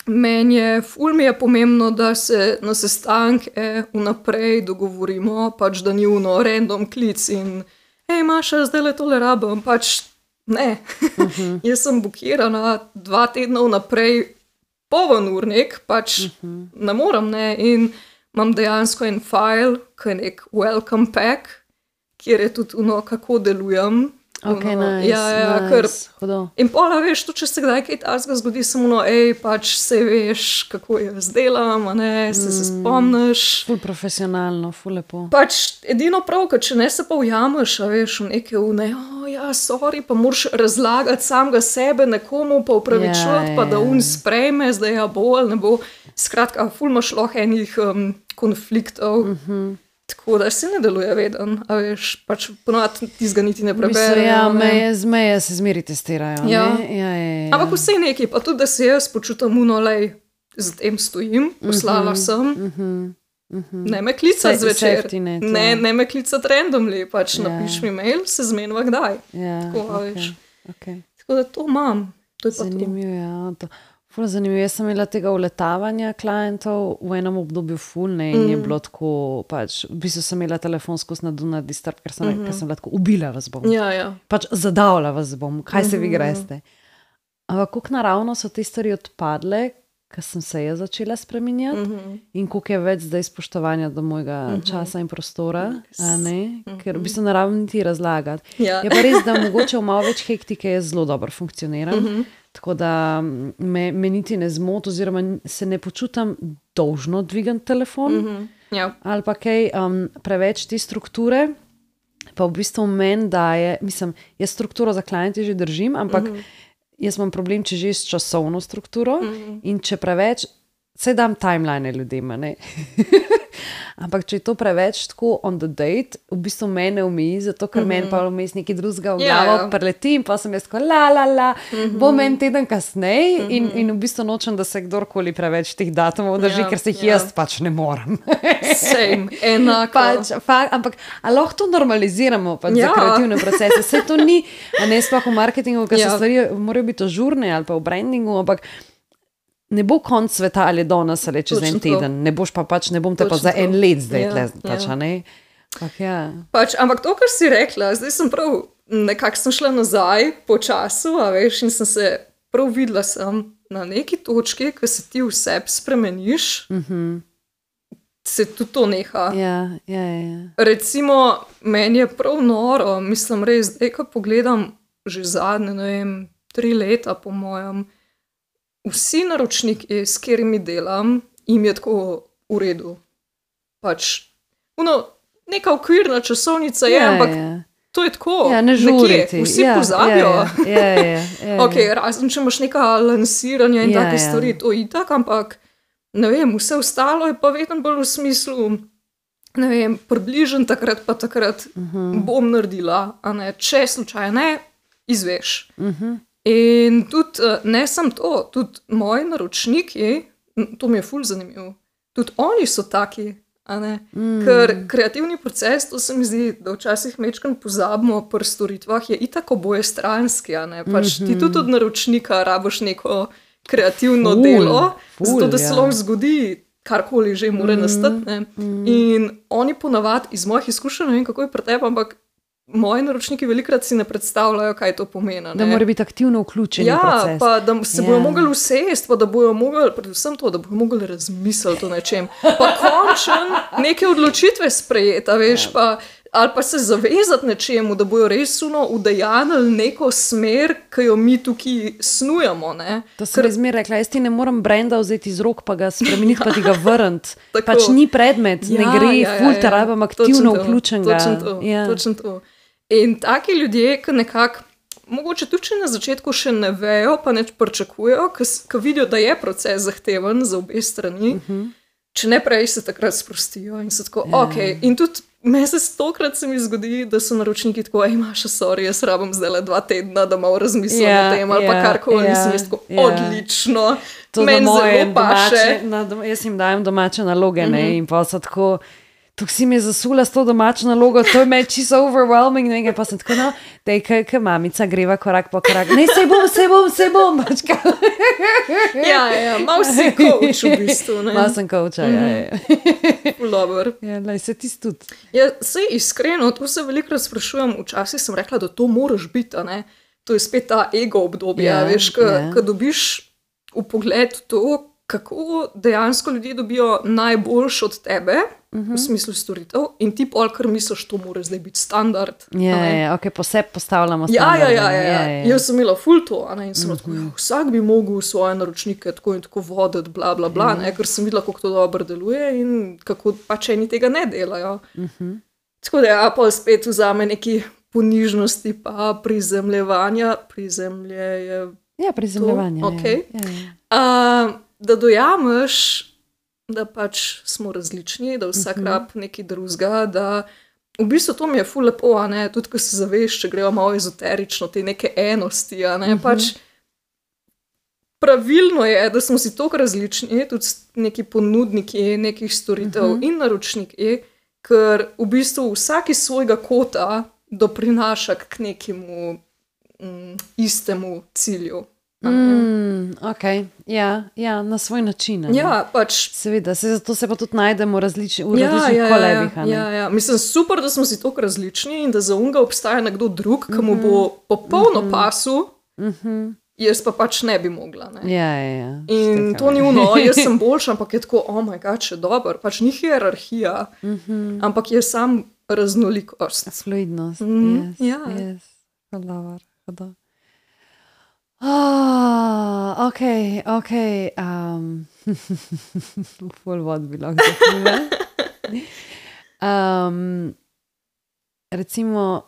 meni je, ful mi je pomembno, da se na sestanke vnaprej dogovorimo, pač da ni uno random klic in hej, Maša, zdaj le tole rabim, pač ne, uh-huh. jaz sem bukirana dva tedna vnaprej poven urnik, pač uh-huh. ne morem, ne, in imam dejansko en file, ki je nek welcome pack, kjer je tudi ono, kako delujem. Ok, ono, nice, ja, ja, nice, ker, hudo. In pola, veš, tu, če se kdaj kaj takega zgodi, samo ono, ej, pač se veš, kako jaz delam, a ne, se mm, se spomniš. Ful profesionalno, ful lepo. Pač edino prav, ker če ne se pa ujameš, a veš, v neke une, o, ja, sorry, pa moraš razlagati samega sebe nekomu, pa upravičувати, ja, pa da un sprejme, zdaj ja bo ali ne bo. Skratka, ful imaš lahko enih um, konfliktov. Mhm. Tako da se ne deluje veden, a veš, pač ponovadi tizga niti ne preberem. Ja, meje, meje se zmeri testirajo. Ja. Ja, ja, ja. Ampak vse neki, pa tudi, da se jaz počutam uno, lej, z tem stojim, poslala uh-huh, sem, uh-huh, uh-huh. ne me klicati zvečer, net, ne, ja. ne me klicati randomly, pač ja. napiš mi mail, se zmenva kdaj. Ja, tako, okay, veš. Okay. Tako da to imam, to je pa zanimivo, to. Ja, to. Ful zanimivo, jaz sem imela tega uletavanja klientov v enem obdobju ful, ne, in mm. je bilo tako, pač, v bistvu sem imela telefonsko na Do Not Disturb, ker sem, mm-hmm. ker sem bila tako, ubila vas bom. Ja, ja. Pač zadavila vas bom, kaj mm-hmm. se vi greste. Ampak kako naravno so te stvari odpadle, ko sem se jaz začela spreminjati uh -huh. in koliko je več zdaj spoštovanja do mojega uh -huh. časa in prostora, a ne? Ker v bistvu ne rabim niti razlagati. Ja. Je pa res, da mogoče v malo več hektike jaz zelo dobro funkcioniram, uh -huh. tako da me, me niti ne zmot oziroma se ne počutam dolžno dvigati telefon uh -huh. Ja. ali pa kaj um, preveč te strukture, pa v bistvu meni daje, mislim, jaz strukturo za kliente že držim, ampak uh -huh. jaz imam problem, če že s časovno strukturo mm. in če preveč, saj dam timeline ljudem, ne? Ampak če je to preveč tako on the date, v bistvu mene umeji, zato ker mm -hmm. meni pa vmes nekaj drugega v glavo yeah. preleti in pa sem jaz tako la la la, mm -hmm. bom en teden kasneje mm -hmm. in, in v bistvu nočem, da se kdorkoli preveč teh datumov drži, yeah. ker se jih yeah. jaz pač ne morem. Same, enako. Pač, fa, ampak, a lahko to normaliziramo pač yeah. za kreativne procese? Vse to ni, a ne sploh v marketingu, ker yeah. se stvari morajo biti ožurne ali pa v brandingu, ampak ne bo konc sveta ali danes ali čez en teden, ne boš pa pač, ne bom te Točno pa za to. En let zdaj, ja, tle, pač, ja. ne? Pak, ja. Pač, ampak to, kar si rekla, zdaj sem prav, nekako sem šla nazaj po času, a veš, in sem se prav videla sem na neki točki, ko se ti vse spremeniš, mm-hmm. se tudi to neha. Ja, ja, ja. Recimo, meni je prav noro, mislim res, zdaj, ko pogledam že zadnje, ne vem, tri leta po mojem, vsi naročniki, s katerimi delam, jim je tako v redu. Pač, uno, neka okvirna časovnica je, ja, ampak ja. to je tako. Ja, ne žuriti. Vsi ja, pozabijo. Ja, ja, ja, ja, ja. Ok, razen če imaš neka lansiranja in ja, take ja. stvari, to itak, ampak ne vem, vse ostalo je pa vedno bolj v smislu, ne vem, približen takrat pa takrat uh -huh. bom naredila, a ne, če slučaj ne, izveš. Uh -huh. In tudi, ne samo to, tudi moji naročniki, to mi je ful zanimivo, tudi oni so taki, a ne, mm. ker kreativni proces, to se mi zdi, da včasih mečkam pozabimo pri storitvah, je itak oboje stranski, a ne, pač mm-hmm. ti tudi od naročnika rabiš neko kreativno ful, delo, ful, zato da se lahko ja. zgodi karkoli že more mm. nastati, ne, mm. in oni ponavadi iz mojih izkušenj, ne vem kako je pri tebi, ampak moji naročniki velikrat si ne predstavljajo, kaj to pomeni. Ne? Da mora biti aktivno vključeni ja, v proces. Ja, pa da se yeah. bojo mogli usesti, pa da bojo mogli, predvsem to, da bojo mogli razmisliti o nečem. Pa končen neke odločitve sprejeti, veš, yeah. pa, ali pa se zavezati nečemu, da bojo res uno udejanili neko smer, ki jo mi tukaj snujemo. Ne? To sem Ker... zmer rekla, jaz ti ne moram brenda vzeti iz rok, pa ga spremeniti, pa ti ga vrniti. Pač ni predmet, ja, ne gre, ja, ja, ful te ja, rabam aktivno vključenega. Točno to, ja. točno to. In taki ljudje, ki nekako, mogoče tudi če na začetku še ne vejo, pa neč pričakujejo, ki vidijo, da je proces zahteven za obe strani, uh -huh. če ne prej se takrat sprostijo in so tako, ja. ok. In tudi me se stokrat se mi zgodi, da so naročniki tako, ej, Maša, sorry, jaz rabim zdaj le dva tedna, da malo razmislim ja, o tem, ali ja, pa karkoli, ja, mislim, jaz tako, ja. odlično, meni zelo paše. Domače, jaz jim dajem domače naloge, uh -huh. ne, in pa so tako, tukaj si mi je zasula s to domačo nalogo, to je me čisto overwhelming, nekaj pa sem tako, no, dej, kaj mamica greva korak po korak, ne, sej bom, sej bom, sej bom, pačka. Ja, ja, malo si coach v bistvu, ne. Malo sem coacha, ja, ja. Dobar. Ja, lej, se ti tudi. Ja, sej iskreno, to se velikrat sprašujem, včasih sem rekla, da to moraš biti, ne, to je spet ta ego obdobje, ja, veš, ko ja. dobiš v pogled to, kako dejansko ljudje dobijo najboljš od tebe, uh-huh. v smislu storitev, in ti pol, kar misliš, to mora zdaj biti standard. Ja, ja, ok, posebej postavljamo standard. Ja, ja, ja, ja. ja, ja. Jaz sem imela ful to, ne, in sem uh-huh. tako, ja, vsak bi mogel svoje naročnike tako in tako voditi, bla, bla, bla, uh-huh. ne, ker sem videla, kako to dobro deluje in kako pač eni tega ne delajo. Uh-huh. Tako da ja, pol spet vzame neki ponižnosti pa prizemljevanja, prizemlje je ja, prizemljevanje, to, ok. Ja, ja. Uh, da dojameš, da pač smo različni, da vsak uh-huh. rab nekaj drugega, da v bistvu to mi je ful lepo, a ne, tudi ko se zaveš, če grejo malo ezoterično, te neke enosti, a ne, uh-huh. pač pravilno je, da smo si toliko različni, tudi neki ponudniki nekih storitev uh-huh. in naročniki, ker v bistvu vsak iz svojega kota doprinaša k nekemu mm, istemu cilju. Mm, ok, ja, ja, na svoj način. Ne? Ja, pač. Seveda, se, zato se pa tudi najdemo različni, v ja, različnih ja, kolebih. Ja, ja, mislim, super, da smo si toliko različni in da za unga obstaja nekdo drug, ki mu bo popolno uh-huh. pasu, uh-huh. jaz pa pač ne bi mogla. Ne? Ja, ja, ja. In Štekam, to ni ja. uno, jaz sem boljša, ampak je tako, oh my god, še dober, pač ni hierarhija, Mhm. ampak je sam raznolikost. Fluidnost. Mhm, Yes, ja. yes. Dobar, dobar. Ah, ok, ok. Um, full vod bi lahko zapila. Um, recimo,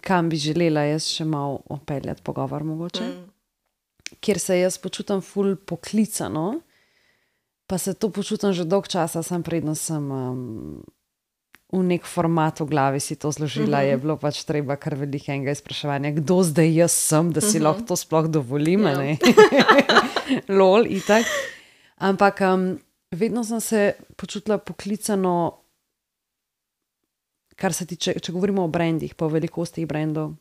kam bi želela jaz še malo opeljati pogovor mogoče, Mm. kjer se jaz počutim ful poklicano, pa se to počutim že dolg časa, sem predno sem um, v nek format v glavi si to zložila, Mhm. je bilo pač treba kar velikega izpraševanja, kdo zdaj jaz sem, da si Mhm. lahko to sploh dovolim, a Ja. ne? Lol, itak. Ampak um, vedno sem se počutila poklicano, kar se tiče, če govorimo o brandih, po velikostih brandov.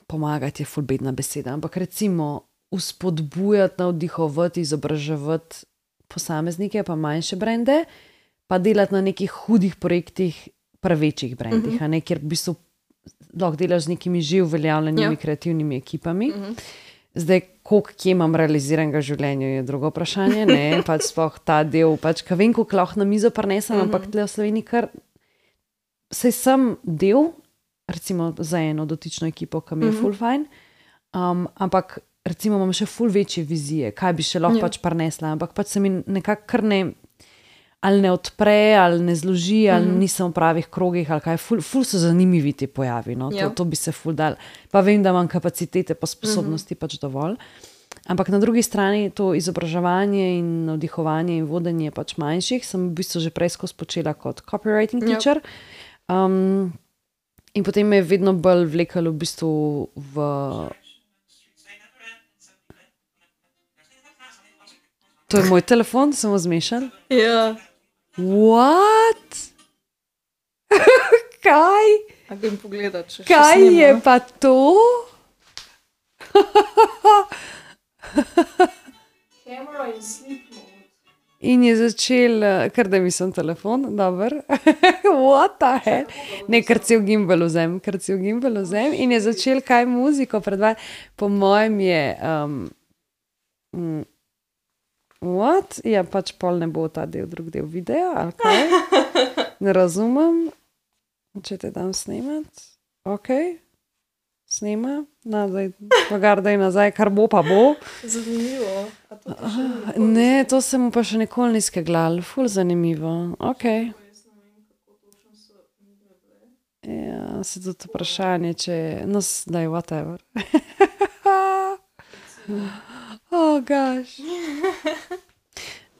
Pomagati je ful bedna beseda, ampak recimo vzpodbujati, navdihovati, izobraževati posameznike, pa manjše brende, pa delati na nekih hudih projektih, pa večjih brendih, Mhm. a ne, kjer v bistvu lahko delaš z nekimi že uveljavljenimi Ja. kreativnimi ekipami. Mhm. Zdaj, koliko kje imam realiziranega življenja, je drugo vprašanje, ne, pač sploh ta del, pač, ka vem, koliko lahko na mizo prinesem, Mhm. ampak tle v Sloveniji kar, sej sem del, recimo za eno dotično ekipo, ki mi je Mhm. ful fajn, um, ampak recimo imam še ful večje vizije, kaj bi še lahko Ja. pač prinesla, ampak pač se mi nekako kar ne, ali ne odpre, ali ne zloži, ali Mhm. nisem v pravih krogih, ali kaj, ful, ful so zanimivi ti pojavi, no, to, Ja. to bi se ful dal, pa vem, da imam kapacitete pa sposobnosti pač dovolj. Ampak na drugi strani to izobraževanje in navdihovanje in vodenje pač manjših sem v bistvu že prej skozi počela kot copywriting Ja. teacher. Um, in potem me je vedno bolj vlekalo v bistvu v... To je moj telefon, sem zmešal. Ja, What? Kaj? a grem pogledat, če še Kaj snema. je pa to? Camera in sleep mode. In je začel, eh, kar da mislim telefon, dober. What the hell? Ne, kar cel gimbal vzem, kar cel gimbal vzem. In je začel kaj muziko predvajati. Po mojem je, um, mm, what? Ja, pač pol ne bo ta del, drug del videa, ali kaj? Ne razumem. Če te dam snemat, ok, snema, nazaj, pogardaj nazaj, kar bo pa bo. Zanimivo. A to pa še ni Ne, to se mu pa še nikoli ni skeglal, ful zanimivo, ok. Ja, se tudi vprašanje, če, no, daj, whatever. Oh, gosh.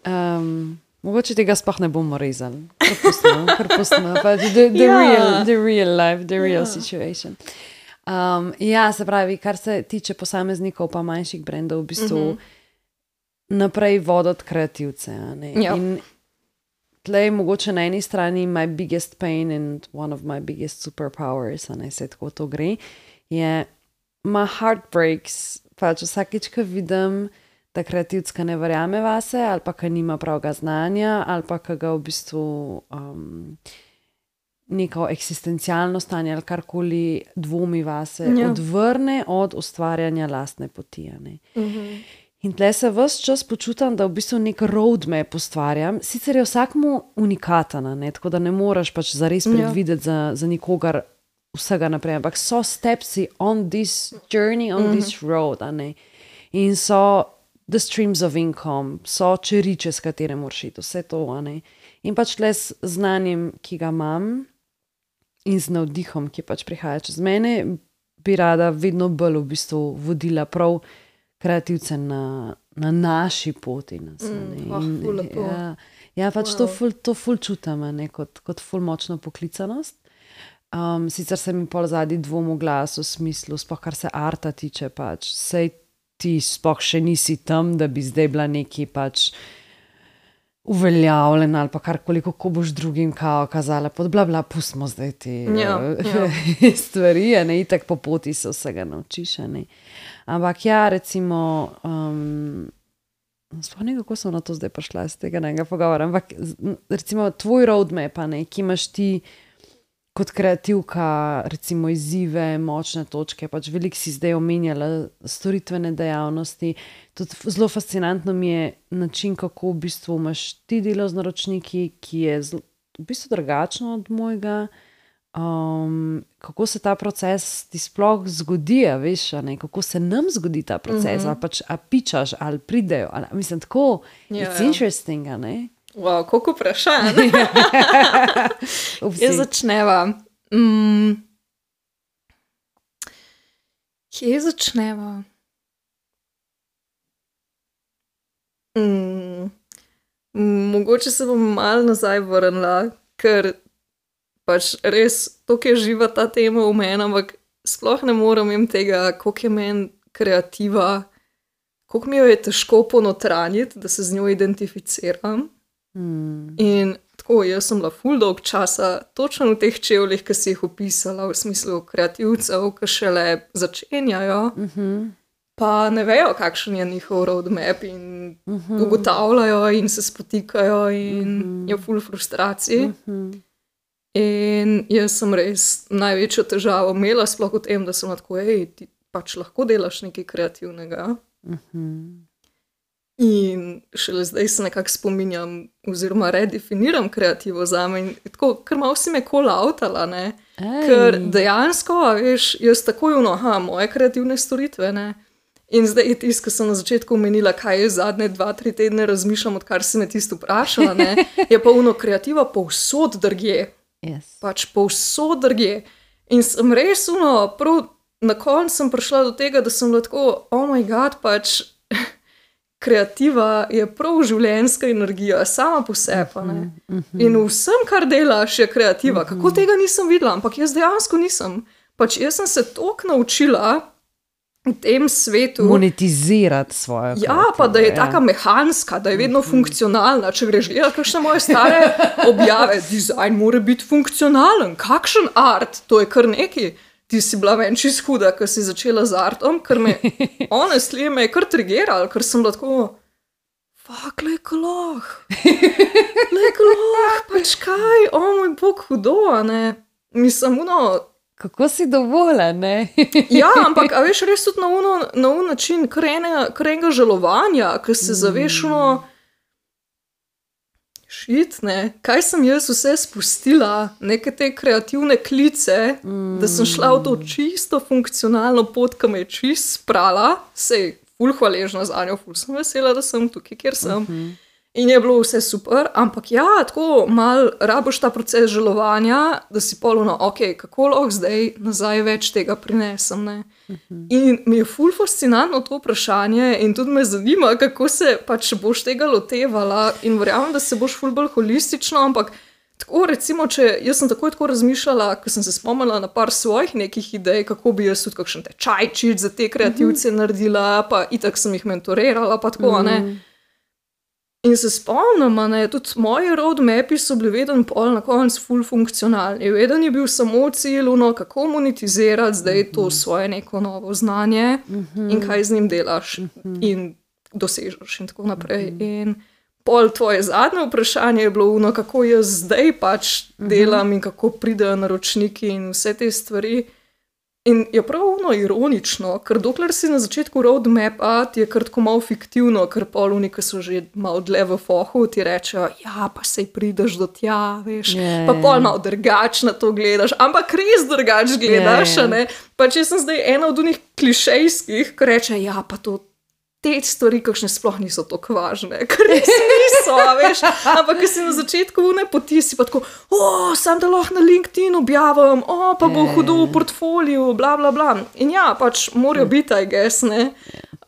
Um, mogoče tega sploh ne bomo rezali. Kar pustimo, kar pustimo. Pač the, the, Ja. real, the real life, the real Ja. situation. Um, ja, se pravi, kar se tiče posameznikov pa manjših brendov, v bistvu Mhm. naprej voditi kreativce. a ne. Ja. In tle je mogoče na eni strani my biggest pain and one of my biggest superpowers, a ne se tako to gre, je my heart breaks, pač vsakič, ko vidim, da kreativska ne verjame vase, ali pa, ki nima pravega znanja, ali pa, ki ga v bistvu um, neko eksistencialno stanje ali karkoli dvomi vase, Ja. odvrne od ustvarjanja lastne poti. a ne. Mhm. In tle se ves čas počutim, da v bistvu nek roadmap ustvarjam. Sicer je vsakmu unikatana, ne? Tako da ne moreš pač zares Ja. predvideti za, za nikogar vsega naprej, ampak so stepsi on this journey, on Mhm. this road, a ne. In so the streams of income, so čeriče, s katere moraš iti, vse to, a ne. In pač tle s znanjem, ki ga imam, in z navdihom, ki pač prihaja čez mene, bi rada vedno bolj v bistvu vodila prav kreativce na, na naši poti. Nas, a ne. Mm, ah, In, ful lepo. ja, ja, pač wow. to, Wow. ful, to ful čutim, a ne, kot, kot ful močno poklicanost. Um, sicer se mi pol zadnji dvom v glasu, v smislu, sploh kar se arta tiče, pač sej ti sploh še nisi tam, da bi zdaj bila neki pač uveljavljena ali pa karkoli, kako boš drugim kao kazala, pod bla bla, pustimo zdaj te Ja, ja. stvari, a ne, itak po poti se vsega naučiš, a ne. Ampak ja, recimo, um, sploh ne, kako sem na to zdaj prišla iz tega nekega pogovora, ampak z- recimo tvoj roadmap, a ne, ki imaš ti kot kreativka, recimo izzive, močne točke, pač veliko si zdaj omenjala storitvene dejavnosti. Tudi zelo fascinantno mi je način, kako v bistvu imaš ti delo z naročniki, ki je zelo, v bistvu drugačno od mojega. Um, kako se ta proces ti sploh zgodi, a veš, a ne? Kako se nam zgodi ta proces, mm-hmm. ali pač a pičaš, ali pridejo, ali, mislim, tako, yeah, it's interesting, a ne? Wow, koliko vprašanj. Kje začneva? Mm. Kje začneva? Mm. Mogoče se bom malo nazaj vrnila, ker pač res, toliko je živa ta tema v meni, ampak sploh ne morem jim tega, koliko je meni kreativa, koliko mi jo je težko ponotranjiti, da se z njo identificiram. Hmm. In tako, jaz sem bila ful dolg časa točno v teh čevljih, ki si jih opisala, v smislu kreativcev, ki šele začenjajo, uh-huh. pa ne vejo, kakšen je njihov roadmap in uh-huh. ugotavljajo in se spotikajo in uh-huh. je ful frustracij. Uh-huh. In jaz sem res največjo težavo imela, sploh v tem, da sem tako, ej, ti pač lahko delaš nekaj kreativnega. Uh-huh. In šele zdaj se nekako spominjam oziroma redefiniram kreativo zame in tako, ker malo si me call-outala, ne. Ej. Ker dejansko, veš, jaz takoj ono, aha, moje kreativne storitve, ne. In zdaj je tisto, ko sem na začetku omenila, kaj je zadnje dva, tri tedne razmišljam, odkar si me tisto vprašala, ne, je pa ono kreativa povsod drugje. Yes. Pač povsod drugje. In sem res ono, prav na koncu sem prišla do tega, da sem bila tako, oh my god, pač kreativa je prav življenjska energija, sama po sebi, ne. Uh-huh. In vsem, kar delaš, je kreativa. Uh-huh. Kako tega nisem videla, ampak jaz dejansko nisem. Pač jaz sem se toliko naučila v tem svetu. Monetizirati svojo kreativo. Ja, pa da je ja. taka mehanska, da je vedno uh-huh. funkcionalna. Če greš gledati kakšne moje stare objave, dizajn mora biti funkcionalen. Kakšen art, to je kar neki. Ti si bila ven čist huda, ko si začela z artom, ker me, honestly, me je kar trigeral, ker sem bila tako, fuck, lejko loh, lejko loh, pač kaj, o moj bog, hudo, ne, mislim, ono... Kako si dovoljen, ne? Ja, ampak, a veš, res tudi na uno, na un način, kar enega žalovanja, ko se zaveš, ono, šit, ne, kaj sem jaz vse spustila, neke te kreativne klice, mm. da sem šla v to čisto funkcionalno pot, ki me je čist sprala, sej ful hvaležna za njo, ful sem vesela, da sem tukaj, kjer sem. Uh-huh. In je bilo vse super, ampak ja, tako mal raboš ta proces žalovanja, da si polno, ok, kako lahko zdaj nazaj več tega prinesem, ne. Uh-huh. In mi je ful fascinantno to vprašanje in tudi me zanima, kako se pač boš tega lotevala in verjamem, da se boš ful bolj holistično, ampak tako recimo, če jaz sem takoj tako razmišljala, ko sem se spomnila na par svojih nekih idej, kako bi jaz tudi kakšen tečajčič za te kreativce uh-huh. naredila, pa itak sem jih mentorirala, pa tako, uh-huh. ne. In se spomnim, ne, tudi moji roadmapi so bili veden pol na koncu ful funkcionalni. Veden je bil samo cilj, ono, kako monetizirati zdaj to svoje neko novo znanje uh-huh. in kaj z njim delaš uh-huh. in dosežeš in tako naprej. Uh-huh. In pol tvoje zadnje vprašanje je bilo ono, kako jaz zdaj pač delam uh-huh. in kako pridejo naročniki in vse te stvari. In je prav ono ironično, ker dokler si na začetku roadmapa, ti je kar tako malo fiktivno, ker poluni, ki so že malo dlje v fohu, ti rečejo, ja, pa sej prideš do tja, veš, yeah, pa pol malo drugač na to gledaš, ampak res drugač gledaš, yeah, ne. Pač jaz sem zdaj ena od unih klišejskih, ki reče, ja, pa to te stvari, kakšne sploh niso tako važne, ker res niso, veš, ampak ko si na začetku une poti, si pa tako, o, sam da lahko na LinkedIn objavim, o, pa bo hudo v portfoliju, bla, bla, bla. In ja, pač morajo biti, I guess, ne.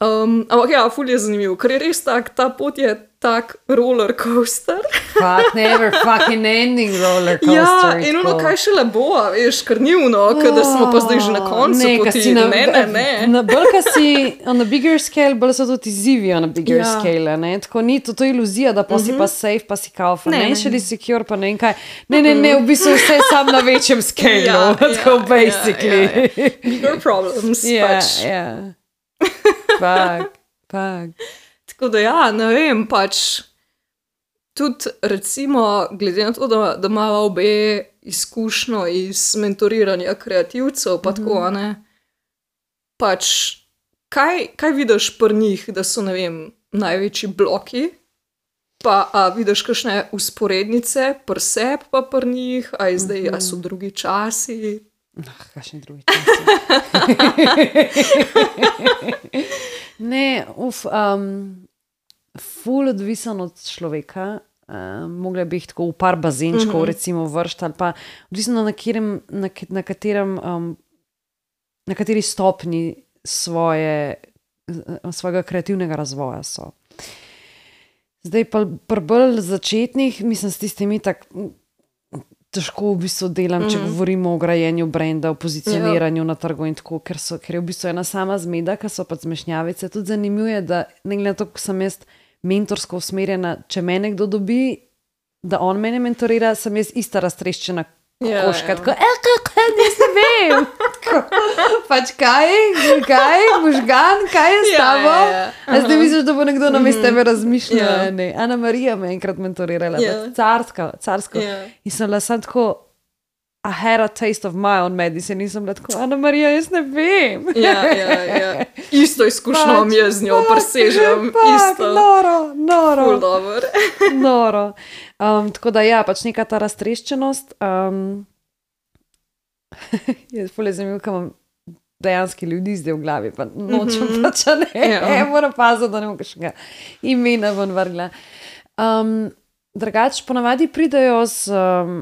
Um, ampak ja, ful je zanimiv, ker je res tak, ta pot je tak roller coaster. Fuck, never fucking ending roller coaster. Ja, in ono, kaj šele bo, veš, ker ni ono, oh, kada smo pa zdaj že na koncu ne, poti, na, ne, ne, ne. Na bolj, ka si on a bigger scale, bolj so tudi izzivi on a bigger ja. scale, ne, tako ni to, to iluzija, da pa si uh-huh. pa safe, pa si kao financially secure, pa ne in kaj. Ne, ne, ne, v bistvu vse sam na večjem scale, ja, tako ja, basically. Ja, ja, ja. Bigger problems, yeah, pač. Ja, ja. Fak, fak. Tako da ja, ne vem, pač tudi recimo, glede na to, da, da imamo obe izkušnjo iz mentoriranja kreativcev, pa tako, a ne. Pač, kaj, kaj vidiš pri njih, da so, ne vem, največji bloki, pa a vidiš kakšne usporednice pri sebi pa pri njih, a je zdaj, a so drugi časi? Ah, kakšni drugi časi. Ne, uf, um, ful odvisen od človeka. Uh, mogla bi jih tako v par bazenčkov, mm-hmm. recimo vršt, ali pa odvisno na, kjerem, na, na katerem, um, na kateri stopni svoje, svojega kreativnega razvoja so. Zdaj pa pri bolj začetnih, mislim, s tistimi tak težko v bistvu delam, mm-hmm. če govorimo o grajenju brenda, o pozicioniranju yeah. na trgu in tako, ker, so, ker je v bistvu ena sama zmeda, ker so pa zmešnjavice. Tudi zanimivo je, da ne glede na to, ko sem jaz mentorsko usmerjena, če me nekdo dobi, da on mene mentorira, sem jaz ista raztreščena kokoška. Tako, e, kako, jaz ne vem. Pač kaj, kaj, možgan, kaj je s tabo? Ja, ja, ja. A zdaj misliš, da bo nekdo na mestu tebe razmišljal? Ja. Ana Marija me enkrat mentorirala, ja. carska, carsko. Ja. In sem bila sam tako, I had a taste of my own medicine, in sem bila tako, Ana Marija, jaz ne vem. Ja, ja, ja. Isto izkušnjo pač, mi je z njo, presežem. Isto. Noro, noro. Ful dober. Noro. Um, tako da ja, pač neka ta raztreščenost. Um, je ful je zanimivo, kaj imam dejanski ljudi zdaj v glavi, pa nočem mm-hmm. pač, ne, ja. e, moram paziti, da ne bom kakšnega imena ven vrgla. Um, drugače, ponavadi pridejo z... Um,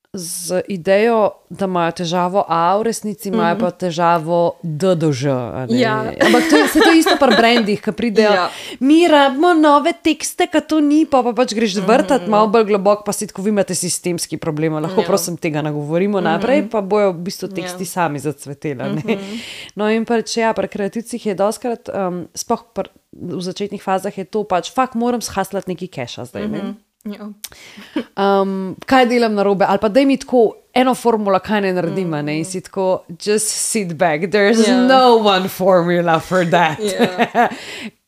z idejo, da imajo težavo A, v resnici imajo mm-hmm. pa težavo D do Ž. Ja. Ampak to je, se to isto pri brandih, ki pridejo, ja. mi rabimo nove tekste, ka to ni, pa, pa pač greš vrtati mm-hmm. malo bolj globok, pa si tako vi imate sistemski problem, lahko ja. prosim tega nagovorimo mm-hmm. naprej, pa bojo v bistvu teksti ja. sami zacvetela. Mm-hmm. No in pač ja, pri kreativcih je doskrat, um, sploh pr, v začetnih fazah je to pač, fakt moram shaslati neki keša zdaj, ne? Mm-hmm. Ja. Um, kaj delam narobe, ali pa daj mi tako eno formula, kaj ne naredim, mm. ne, in si tako, just sit back, there's yeah. no one formula for that. Yeah.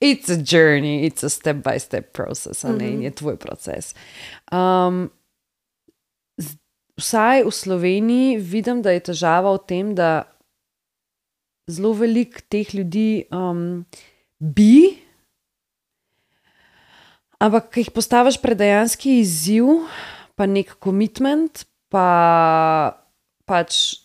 It's a journey, it's a step by step process, mm-hmm. ne, in je tvoj proces. Um, vsaj v Sloveniji vidim, da je težava v tem, da zelo veliko teh ljudi um, bi ampak, ko jih postaviš pred dejanski izziv, pa nek commitment, pa pač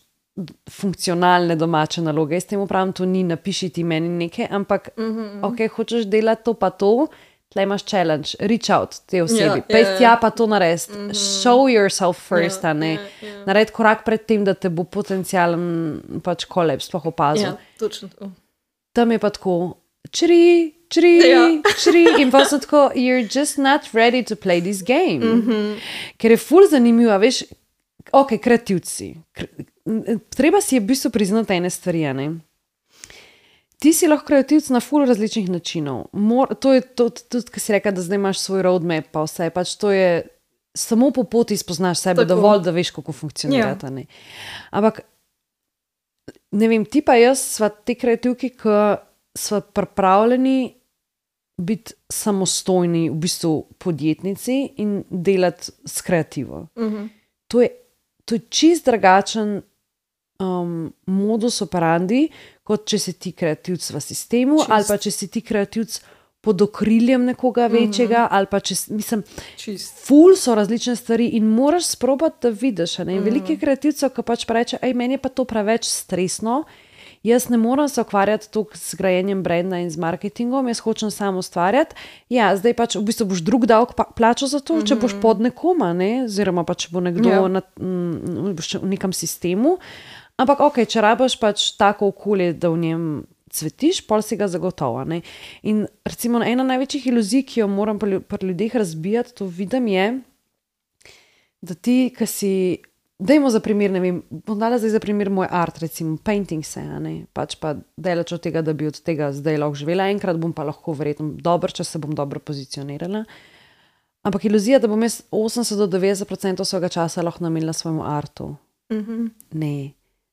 funkcionalne domače naloge. Jaz temu pravim, to ni napiši ti meni nekaj, ampak mm-hmm. ok, hočeš delati to pa to, tle imaš challenge, reach out te osebi, yeah, pej yeah. tja pa to narediti, mm-hmm. show yourself first, yeah, ne, yeah, yeah. naredi korak pred tem, da te bo potencialen pač koleb sploh opazil. Ja, točno to. Tam je pa tako, čri, čri, ja. čri, in pa sem tako, you're just not ready to play this game. Mm-hmm. Ker je ful zanimivo, veš, ok, kreativci. Treba si je v bistvu priznati ene stvari, ne? Ti si lahko kreativc na ful različnih načinov. Mor, to je to, tudi, ko si reka, da zdaj imaš svoj roadmap, pa vse, pač to je, samo po poti spoznaš sebe, tako. Dovolj, da veš, kako funkcionirata, ja. ne? Ampak, ne vem, ti pa jaz sva te kreativki, ki sva pripravljeni biti samostojni, v bistvu podjetnici in delati s kreativo. Mm-hmm. To je, to je čist drugačen um, modus operandi, kot če si ti kreativc v sistemu, čist. Ali pa če si ti kreativc pod okriljem nekoga večjega, mm-hmm. ali pa če, mislim, čist. Ful so različne stvari in moraš sprobati, da vidiš, ne? Mm-hmm. Veliki kreativcev, ki pač preče, ej, meni je pa to preveč stresno, jaz ne moram se ukvarjati toliko s grajenjem brenda in z marketingom, jaz hočem samo ustvarjati. Ja, zdaj pač v bistvu boš drug davek plačal za to, mm-hmm. če boš pod nekoma, ne? Oziroma pa če bo nekdo ja. na, m, v nekem sistemu. Ampak ok, če rabaš pač tako okolje, da v njem cvetiš, pol si ga zagotovo. Ne? In recimo ena največjih iluzij, ki jo moram pri, pri ljudeh razbijati, to vidim je, da ti, ki si dajmo za primer, ne vem, bom dala zdaj za primer moj art, recimo painting se, ne, pač pa delač od tega, da bi od tega zdaj lahko živela, enkrat bom pa lahko verjetno dobro, če se bom dobro pozicionirala. Ampak iluzija, da bom jaz osemdeset do devetdeset procentov svojega časa lahko namenila svojemu artu. Mm-hmm. Ne.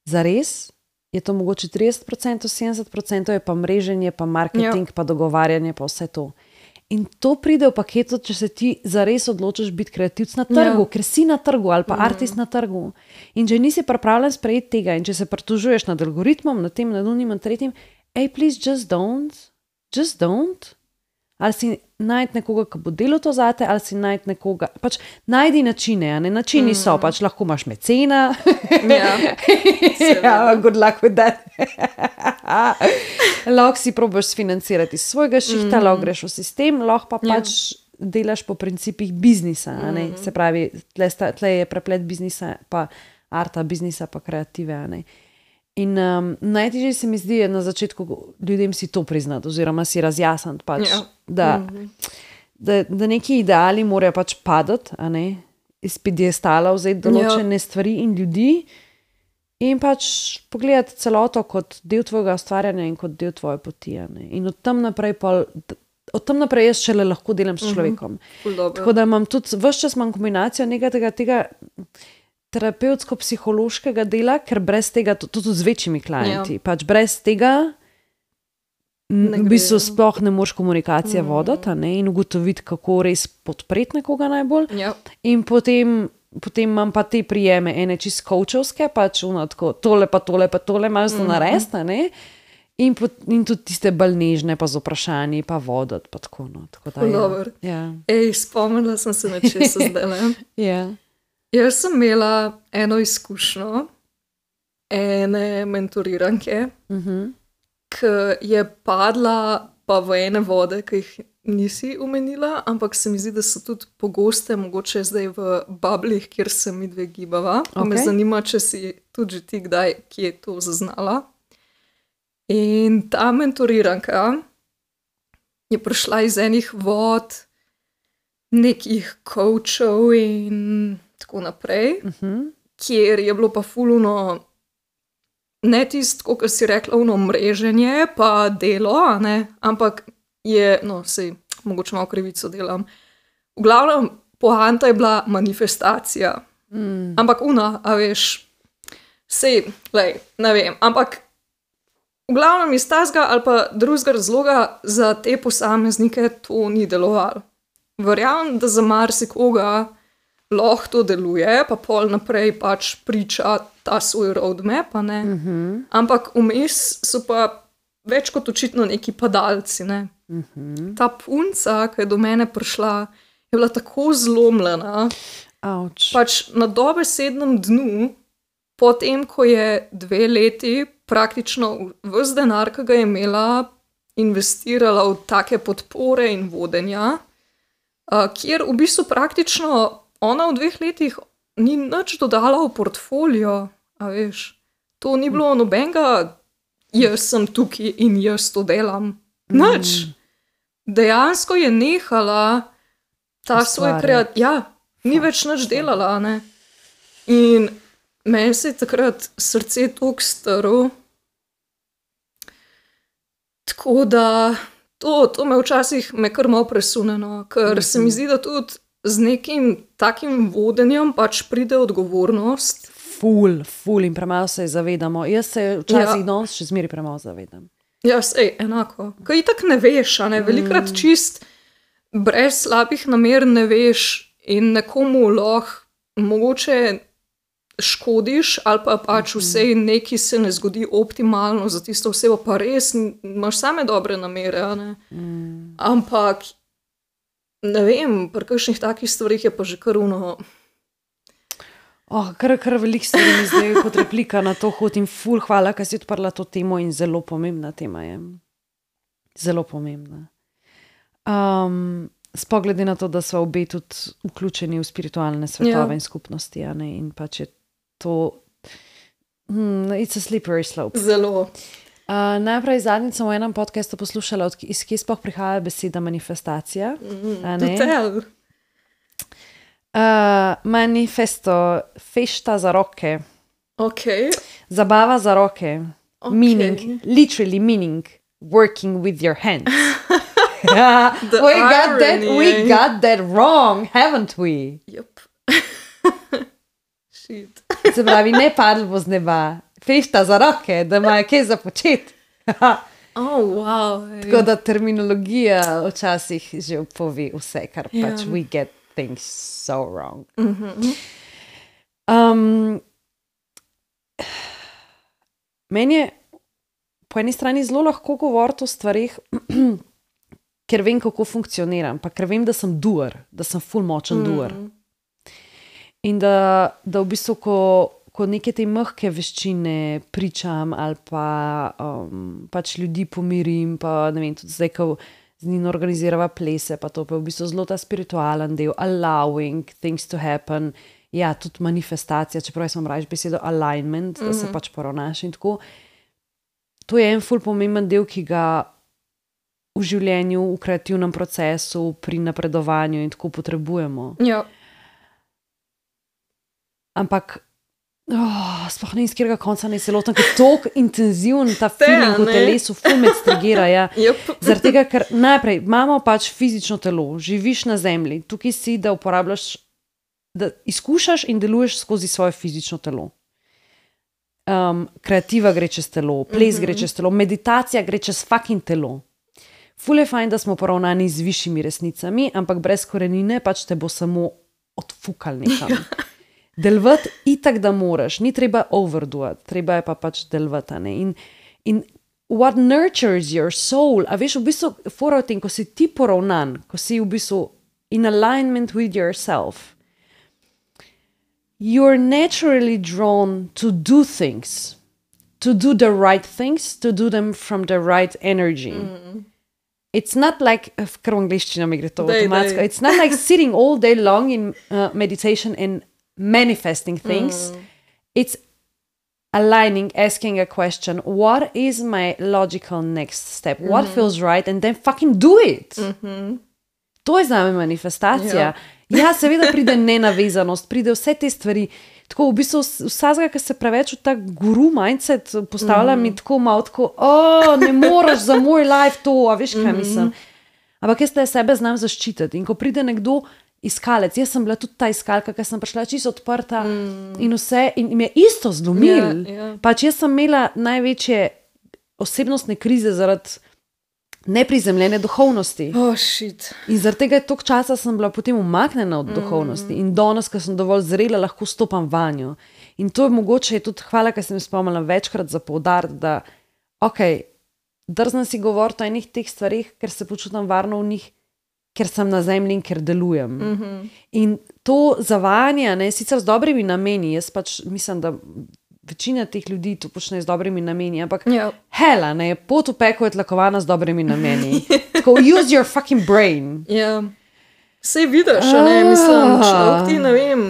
Zares je to mogoče trideset procentov, sedemdeset procentov je pa mreženje, pa marketing, ja. pa dogovarjanje, pa vse to. In to pride v paketu, če se ti zares odločiš biti kreativc na trgu, ja. Ker si na trgu ali pa mm. artist na trgu. In če nisi pripravljen sprejeti tega in če se pritožuješ nad algoritmom, nad tem, nad unim in tretjim, hey, please, just don't. Just don't. Ali si najti nekoga, ki bo delal to zate, ali si najti nekoga, pač najdi načine, a ne, načini mm. so, pač lahko imaš mecena. Ja. Ja, good luck with that. Lahko si probaš sfinancirati svojega šihta, mm. lahko greš v sistem, lahko pa pač ja. Delaš po principih biznisa, a ne, mm. se pravi, tle, sta, tle je preplet biznisa, pa arta, biznisa, pa kreative, a ne. In um, najtežje se mi zdi na začetku ljudem si to priznati oziroma si razjasniti pač, ja. da, mm-hmm. da, da neki ideali morajo pač padati, a ne, iz piedestala vzeti določene ja. Stvari in ljudi in pač pogledati celoto kot del tvojega ustvarjanja in kot del tvoje poti, a ne. In od tam naprej pa, od tam naprej jaz šele lahko delam s človekom. Mm-hmm. Tako da imam tudi, ves čas imam kombinacijo nekaj tega, tega terapevtsko-psihološkega dela, ker brez tega, tudi z večjimi klienti, ja. Pač brez tega v bistvu sploh ne moreš komunikacije mm. voditi, ne, in ugotoviti, kako res podpreti nekoga najbolj. Ja. In potem, potem imam pa te prijeme, ene čist coachovske, pač ono tako, tole pa tole pa tole, imaš to mm. narediti, ne, in, pot, in tudi tiste bolj nežne pa z vprašanji, pa voditi, pa tako, no. Tako da, ja. Ja. Ej, spomnila sem se na česa zdaj, ne? Ja. Jaz sem imela eno izkušnjo ene mentoriranke, uh-huh. ki je padla pa v ene vode, ki jih nisi omenila, ampak se mi zdi, da so tudi pogoste, mogoče zdaj v bablih, kjer se mi dve gibava. Okay. Me zanima, če si tudi ti kdaj, ki je to zaznala. In ta mentoriranka je prišla iz enih vod, nekih coachov in tako naprej, uh-huh. kjer je bilo pa fuluno, ne tisto, kot si rekla, uno mreženje, pa delo, ne? Ampak je, no, sej, mogoče malo krivico delam. V glavnem, poanta je bila manifestacija. Mm. Ampak una, a veš, sej, lej, ne vem, ampak v glavnem iz tazga ali pa drugega razloga za te posameznike to ni delovalo. Verjamem, da za marsikoga lahko to deluje, pa pol naprej pač priča ta svoj roadmap, ne? Uh-huh. Ampak vmes so pa več kot očitno neki padalci, ne? Uh-huh. Ta punca, ki je do mene prišla, je bila tako zlomljena, Ouch. Pač na dobesednem dnu, potem, ko je dve leti praktično ves denar, ki ga je imela, investirala v take podpore in vodenja, uh, kjer v bistvu praktično ona v dveh letih ni nič dodala v portfolio, a veš, to ni bilo nobenega, jaz sem tukaj in jaz to delam, nič. Mm. Dejansko je nehala ta Ustvarjati. Svoj kreat, ja, ni Fak. Več nič delala, ne. In meni se je takrat srce toliko strlo, tako da to, to me včasih me kar malo presuneno, ker mm-hmm. se mi zdi, da tudi z nekim takim vodenjem pač pride odgovornost. Ful, ful in premalo se zavedamo. Jaz se včasih ja. Danes še zmeri premalo zavedam. Ja, sej, enako. Kaj itak ne veš, a ne? Velikrat mm. čist brez slabih namer ne veš in nekomu lahko mogoče škodiš ali pa pač vsej neki se ne zgodi optimalno za tisto osebo, pa res imaš same dobre namere, a ne? Mm. Ampak ne vem, pri kakšnih takih stvarih je pa že kar uno. Oh, kar, kar veliko stvari mi zdaj kot replika na to hod in ful, hvala, ker si odprla to temo in zelo pomembna tema je. Zelo pomembna. Um, spogledi na to, da so obe tudi vključeni v spiritualne svetove ja. In skupnosti, a ne, in pa če to hmm, it's a slippery slope. Zelo. Uh, najprej zadnjič sem v enem podcastu poslušala, od, iz kje sploh prihaja beseda manifestacija. Mm, uh, manifesto, fešta za roke. Okay. Zabava za roke. Okay. Meaning, literally meaning, working with your hands. we, got that, we got that wrong, haven't we? Yep. Shit. Se pravi, ne padlo bo z neba. Fešta za roke, da imajo kaj za početi. Oh, wow. ej. Tako da terminologija včasih že pove vse, kar Ja. pač we get things so wrong. Um, meni je po eni strani zelo lahko govoriti o stvarih, ker vem, kako funkcioniram, pa ker vem, da sem doer, da sem ful močen mm. doer. In da, da v bistvu, ko, ko neke te mehke veščine pričam ali pa um, pač ljudi pomirim, pa ne vem, tudi zdaj, ko z njim organizirava plese, pa to pa je v bistvu zelo ta spiritualen del, allowing things to happen, ja, tudi manifestacija, čeprav jaz imam rajš besedo alignment, da se pač poravnaš in tako. To je en ful pomemben del, ki ga v življenju, v kreativnem procesu, pri napredovanju in tako potrebujemo. Ja. Ampak oh, sploh ne iz katerega konca ne se lotam, ker je toliko intenziven ta feeling v ne. telesu, ful me strigira, ja. Yep. Zaradi tega, ker najprej imamo pač fizično telo, živiš na zemlji, tukaj si, da uporabljaš, da izkušaš in deluješ skozi svoje fizično telo. Um, kreativa gre čez telo, ples gre čez telo, meditacija gre čez fucking telo. Ful je fajn, da smo poravnani z višjimi resnicami, ampak brez korenine pač te bo samo odfukal nekam. Delvat itak, da moraš, ni treba overdoati, treba je pa pač delvati. In, in what nurtures your soul, a veš, v bistvu fora v tem, ko si ti poravnan, ko si v bistvu in alignment with yourself, you're naturally drawn to do things, to do the right things, to do them from the right energy. Mm. It's not like, kar v angliščino mi gre to Dej, avtomatsko, dej. it's not like sitting all day long in uh, meditation and manifesting things. Mm. It's aligning, asking a question, what is my logical next step? Mm-hmm. What feels right? And then fucking do it. Mm-hmm. To je za me manifestacija. Ja. Ja, seveda pride nenavezanost, pride vse te stvari. Tako v bistvu vsazga, ki se preveč v ta guru mindset postavlja, mm. mi tako malo tako, o, ne moraš za moj life to, a veš, kaj mm. mislim. Ampak jaz te sebe znam zaščititi. In ko pride nekdo iskalec, jaz sem bila tudi ta iskalka, ker sem prišla čisto odprta mm. in vse, in mi je isto zlomil. Ja, ja. Pač jaz sem imela največje osebnostne krize zaradi neprizemljene duhovnosti. Oh, shit. In zaradi tega je toliko časa sem bila potem umaknjena od duhovnosti mm. in danes, ko sem dovolj zrela, lahko stopam vanjo. In to je mogoče, je tudi hvala, ker sem spomnila večkrat za poudariti, da ok, drznem si govoriti o enih teh stvarih, ker se počutam varno v njih, ker sem na zemlji in ker delujem. Mm-hmm. In to zavajanje, ne, sicer z dobrimi nameni, jaz pač mislim, da večina teh ljudi to počne z dobrimi nameni, ampak Ja. hela, ne, pot v peko je tlakovana z dobrimi nameni. Tako, use your fucking brain. Ja. Sej vidiš, a ne, mislim, človek ti, ne vem,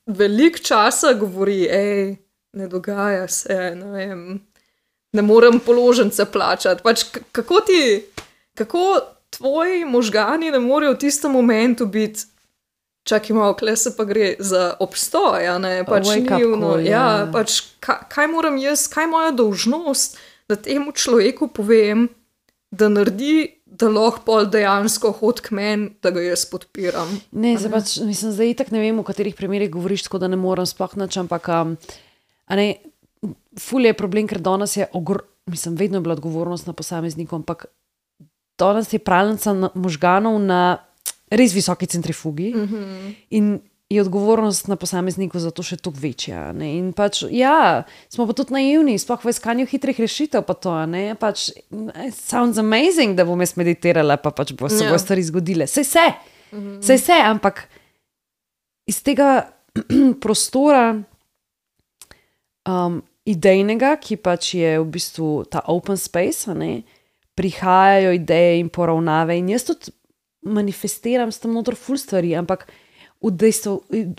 veliko časa govori, ej, ne dogaja se, ne vem, ne morem položnice plačati. Pač k- kako ti, kako tvoji možgani ne morejo v tistem momentu biti, čakaj malo, kle se pa gre za obstoj, a ne, pač Wake up ni ono, call, ja, ja. pač kaj, kaj moram jaz, kaj je moja dolžnost, da temu človeku povem, da naredi, da lahko pol dejansko hod k meni, da ga jaz podpiram. Ne, zdaj pač, mislim, zdaj itak ne vem, v katerih primerih govoriš, tako da ne morem sploh nič, ampak um, a ne, ful je problem, ker danes je, ogr, mislim, vedno je bila odgovornost na posamezniku, ampak danes je pralnica na, možganov na res visoki centrifugi mm-hmm. in je odgovornost na posamezniku zato še toliko večja. Ne? In pač, ja, smo pa tudi naivni, sploh v iskanju hitrih rešitev pa to, ne, pač, it sounds amazing, da bom jaz meditirala, pa pač bo se Ja. bo stvari zgodile. Sej se, mm-hmm. sej se, ampak iz tega prostora um, idejnega, ki pač je v bistvu ta open space, a ne, prihajajo ideje in poravnave in jaz tudi manifestiram s tem notor ful stvari, ampak udejstvo,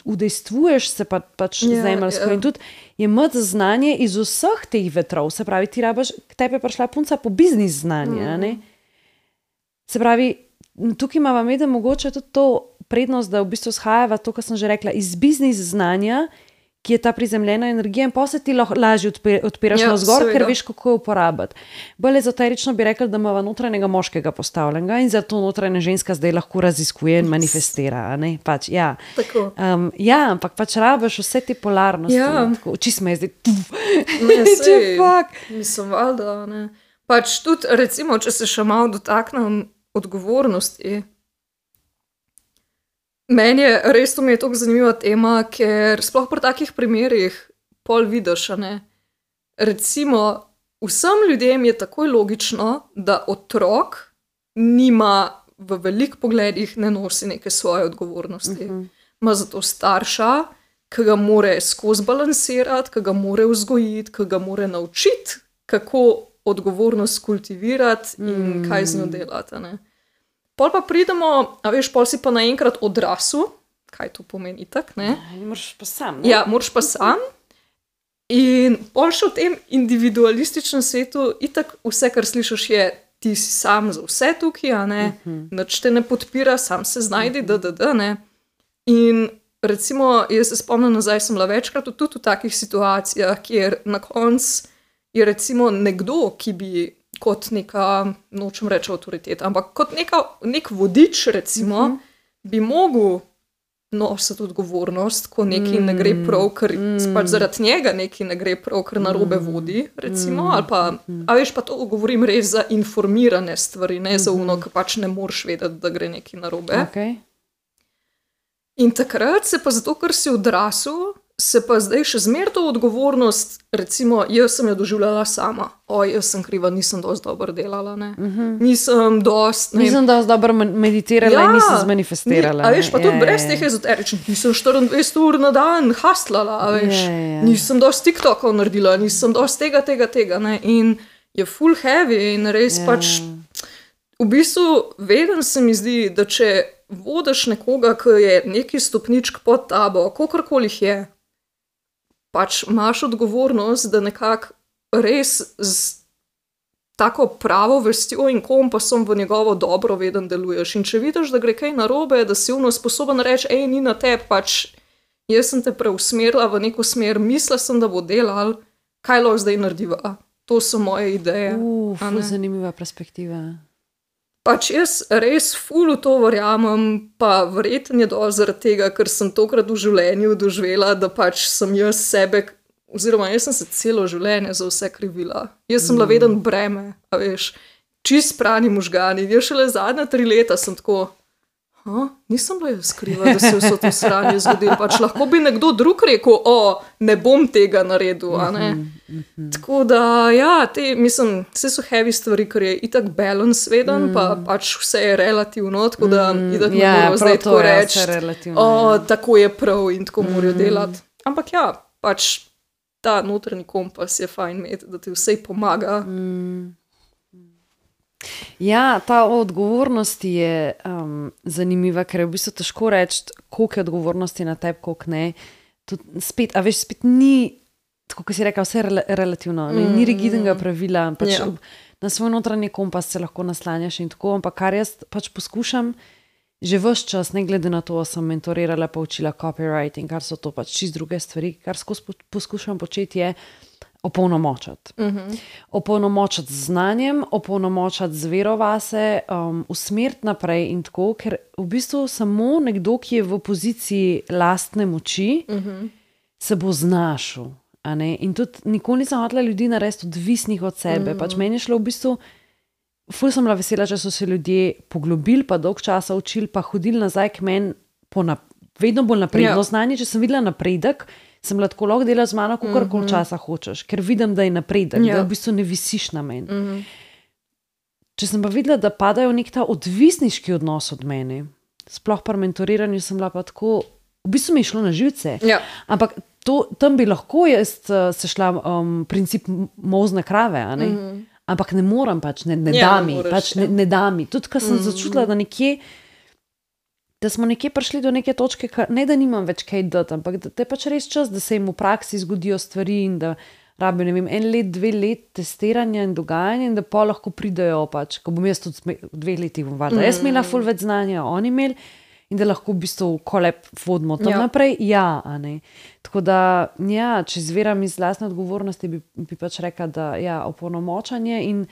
udejstvuješ se pa, pač Ja, zemeljsko ja. in tudi je imeti znanje iz vseh teh vetrov, se pravi, ti rabaš, k tebi je prišla punca po biznis znanje, a ne? Se pravi, tukaj imava meda mogoče tudi to prednost, da v bistvu shajava to, kar sem že rekla, iz biznis znanja, ki je ta prizemljena energija in pa se ti lahko lažje odpir, odpiraš Ja, ja, navzgor, seveda. ker veš, kako jo uporabiti. Bolj ezoterično bi rekli, da imava notranjega moškega postavljenega in zato notranja ženska zdaj lahko raziskuje in manifestira, a ne? Pač, ja. Tako. Um, ja, ampak pač rabiš vse te polarnosti. Ja. Tako, oči smo je zdaj, Ne, če sej, fak. mislim, valjda, ne. Pač tudi, recimo, če se še malo dotaknem odgovornosti. Meni je res, to mi je tako zanimiva tema, ker sploh pri takih primerih pol vidiš, a ne. Recimo, vsem ljudem je takoj logično, da otrok nima v velik pogledih ne nosi neke svoje odgovornosti. Uh-huh. Ima zato starša, ki ga more skozi balansirati, ki ga more vzgojiti, ki ga more naučiti, kako odgovornost kultivirati in mm. kaj z njo delati. Ne? Pol pa pridemo, a veš, pol si pa naenkrat odrasel, kaj to pomeni tak, ne? Moraš pa sam, ne? Ja, moraš pa sam. In pol še v tem individualističnem svetu itak vse, kar slišiš, je ti si sam za vse tukaj, a ne? Uh-huh. Nič te ne podpira, sam se znajdi, uh-huh. da, da, da, ne? In recimo, jaz se spomnim nazaj, sem bila večkrat tudi v takih situacijah, kjer na koncu je recimo nekdo, ki bi kot neka, nočem reči avtoriteta, ampak kot neka, nek vodič recimo, uh-huh. bi mogel nositi odgovornost, ko nekaj mm. ne gre prav, ker mm. pač zaradi njega nekaj ne gre prav, ker narobe vodi, recimo, mm. ali pa, a veš, pa to govorim res za informirane stvari, ne za uno, ki pač ne moreš vedeti, da gre nekaj narobe. Okay. In takrat se pa zato, ker si odrasel, se pa zdaj še zmer to odgovornost, recimo, jaz sem jo doživljala sama. Oj, jaz sem kriva, nisem dosti dobro delala, ne. Uh-huh. Nisem dosti... Ne... Nisem dosti dobro meditirala ja, in nisem zmanifestirala. Ni, a veš, pa tudi je, brez je, teh ezoteričnih, nisem štiriindvajset ur na dan haslala, a veš. Je, je. Nisem dosti TikTokov naredila, nisem dosti tega, tega, tega, ne. In je full heavy in res je. Pač... V bistvu, veden se mi zdi, da če vodiš nekoga, ki je neki stopničk pod tabo, kakorkoli je, pač imaš odgovornost, da nekako res z tako pravo vestjo in kompasom v njegovo dobro veden deluješ. In če vidiš, da gre kaj narobe, da si uno sposoben reči, ej, ni na tebi, pač jaz sem te preusmerila v neko smer, mislila sem, da bo delal, kaj lahko zdaj narediva. To so moje ideje. Uf, zanimiva perspektiva. Pač jaz res ful v to verjamem, pa verjetno je dovolj zaradi tega, ker sem tokrat v življenju doživela, da pač sem jaz sebe, oziroma jaz sem se celo življenje za vse krivila. Jaz sem bila veden breme, a veš, čist prani možgani. Jaz šele zadnja tri leta sem tako, ha, nisem bila jaz kriva, da se vso to sranje zgodilo. Pač lahko bi nekdo drug rekel, o, ne bom tega naredil, a ne. Mm-hmm. Tako da, ja, te, mislim, vse so heavy stvari, ker je itak balance veden, mm. pa pač vse je relativno, tako da mm. itak ne ja, moramo zdaj tako reči, o, tako je prav in tako mm. morajo delati. Ampak ja, pač ta notranji kompas je fajn imeti, da ti vse pomaga. Mm. Ja, ta odgovornost je um, zanimiva, ker je v bistvu težko reči, koliko je odgovornosti na tebi, koliko ne. Tud, spet, a veš, spet ni, tako kot si rekel, vse rel- relativno, ne? Mm. Ni rigidnega pravila, pač yeah. na svoj notranji kompas se lahko naslanjaš in tako, ampak kar jaz pač poskušam, že ves čas, ne glede na to, sem mentorirala, pa učila copywriting, kar so to pač čist druge stvari, kar skozi poskušam početi je, opolnomočati. Uh-huh. Opolnomočati z znanjem, opolnomočati z vero vase, um, usmeriti naprej in tako, ker v bistvu samo nekdo, ki je v poziciji lastne moči, uh-huh. se bo znašel. A ne? In tudi nikoli nisem hotela ljudi narediti odvisnih od sebe. Uh-huh. Pač meni je šlo v bistvu, ful sem bila vesela, če so se ljudje poglobili, pa dolg časa učili, pa hodili nazaj k meni po nap- vedno bolj napredno yeah. znanje. Če sem videla napredek, sem lahko tako lahko delala z mano, kolikor mm-hmm. časa hočeš, ker vidim, da je napredek, yeah. da v bistvu ne visiš na meni. Mm-hmm. Če sem pa videla, da padajo nek ta odvisniški odnos od mene, sploh pri mentoriranju sem bila pa tako, v bistvu mi je šlo na živce, yeah. ampak to, tam bi lahko jaz uh, se šla um, princip mozne krave, a ne? Mm-hmm. Ampak ne moram pač, ne, ne ja, da mi, ne pač ne, ne da mi. Tudi, ko sem mm-hmm. začutila, da nekje da smo nekje prišli do neke točke, ne da nimam več kaj dati, ampak da je pač res čas, da se jim v praksi zgodijo stvari in da rabijo, ne vem, en let, dve let testiranja in dogajanja in da pa lahko pridejo pač, ko bom jaz tudi v dveh letih bom valjda. Mm. Jaz imela ful več znanja, oni imeli in da lahko v bistvu kolep vodimo tam ja. naprej. Ja, a ne. Tako da, ja, če zveram iz lastne odgovornosti, bi, bi pač rekla, da ja, opolnomočanje in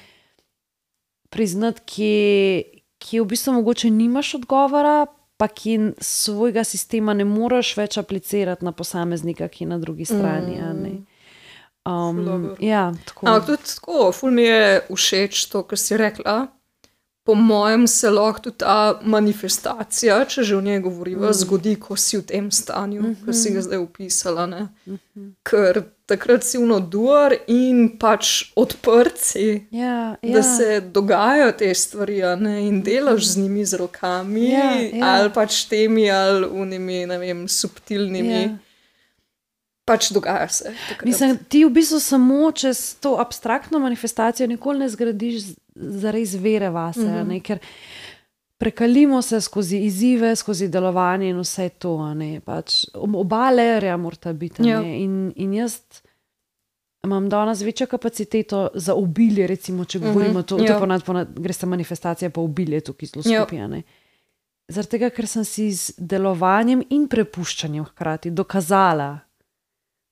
priznati, kje, kje v bistvu mogoče nimaš odgovora, pa ki svojega sistema ne moreš več aplicirati na posameznika, ki je na drugi strani. Mm. Um, ja, tako. Ampak tudi tako, ful mi je všeč to, kar si rekla. Po mojem se lahko tudi ta manifestacija, če že o njej govoriva, mm. zgodi, ko si v tem stanju, mm -hmm. ko si ga zdaj opisala. Ne? Mm -hmm. Ker takrat si vnoduar in pač odprt si, ja, ja. da se dogajajo te stvari, ne? In delaš z njimi z rokami, ja, ja. ali pač temi, ali unimi, ne vem, subtilnimi. Ja. Pač dogaja se. Takrat. Mislim, ti v bistvu samo čez to abstraktno manifestacijo nikoli ne zgradiš zares vere vase, mm -hmm. ne, ker prekalimo se skozi izzive, skozi delovanje in vse to, ne, pač oba lerja morata biti, ja. ne, in, in jaz imam danes večjo kapaciteto za obilje, recimo, če govorimo, mm -hmm. to, to ja. ponad, ponad, gre sta manifestacija pa obilje tukaj zelo skupaj, ja. ne. Zaradi tega, ker sem si z delovanjem in prepuščanjem hkrati dokazala,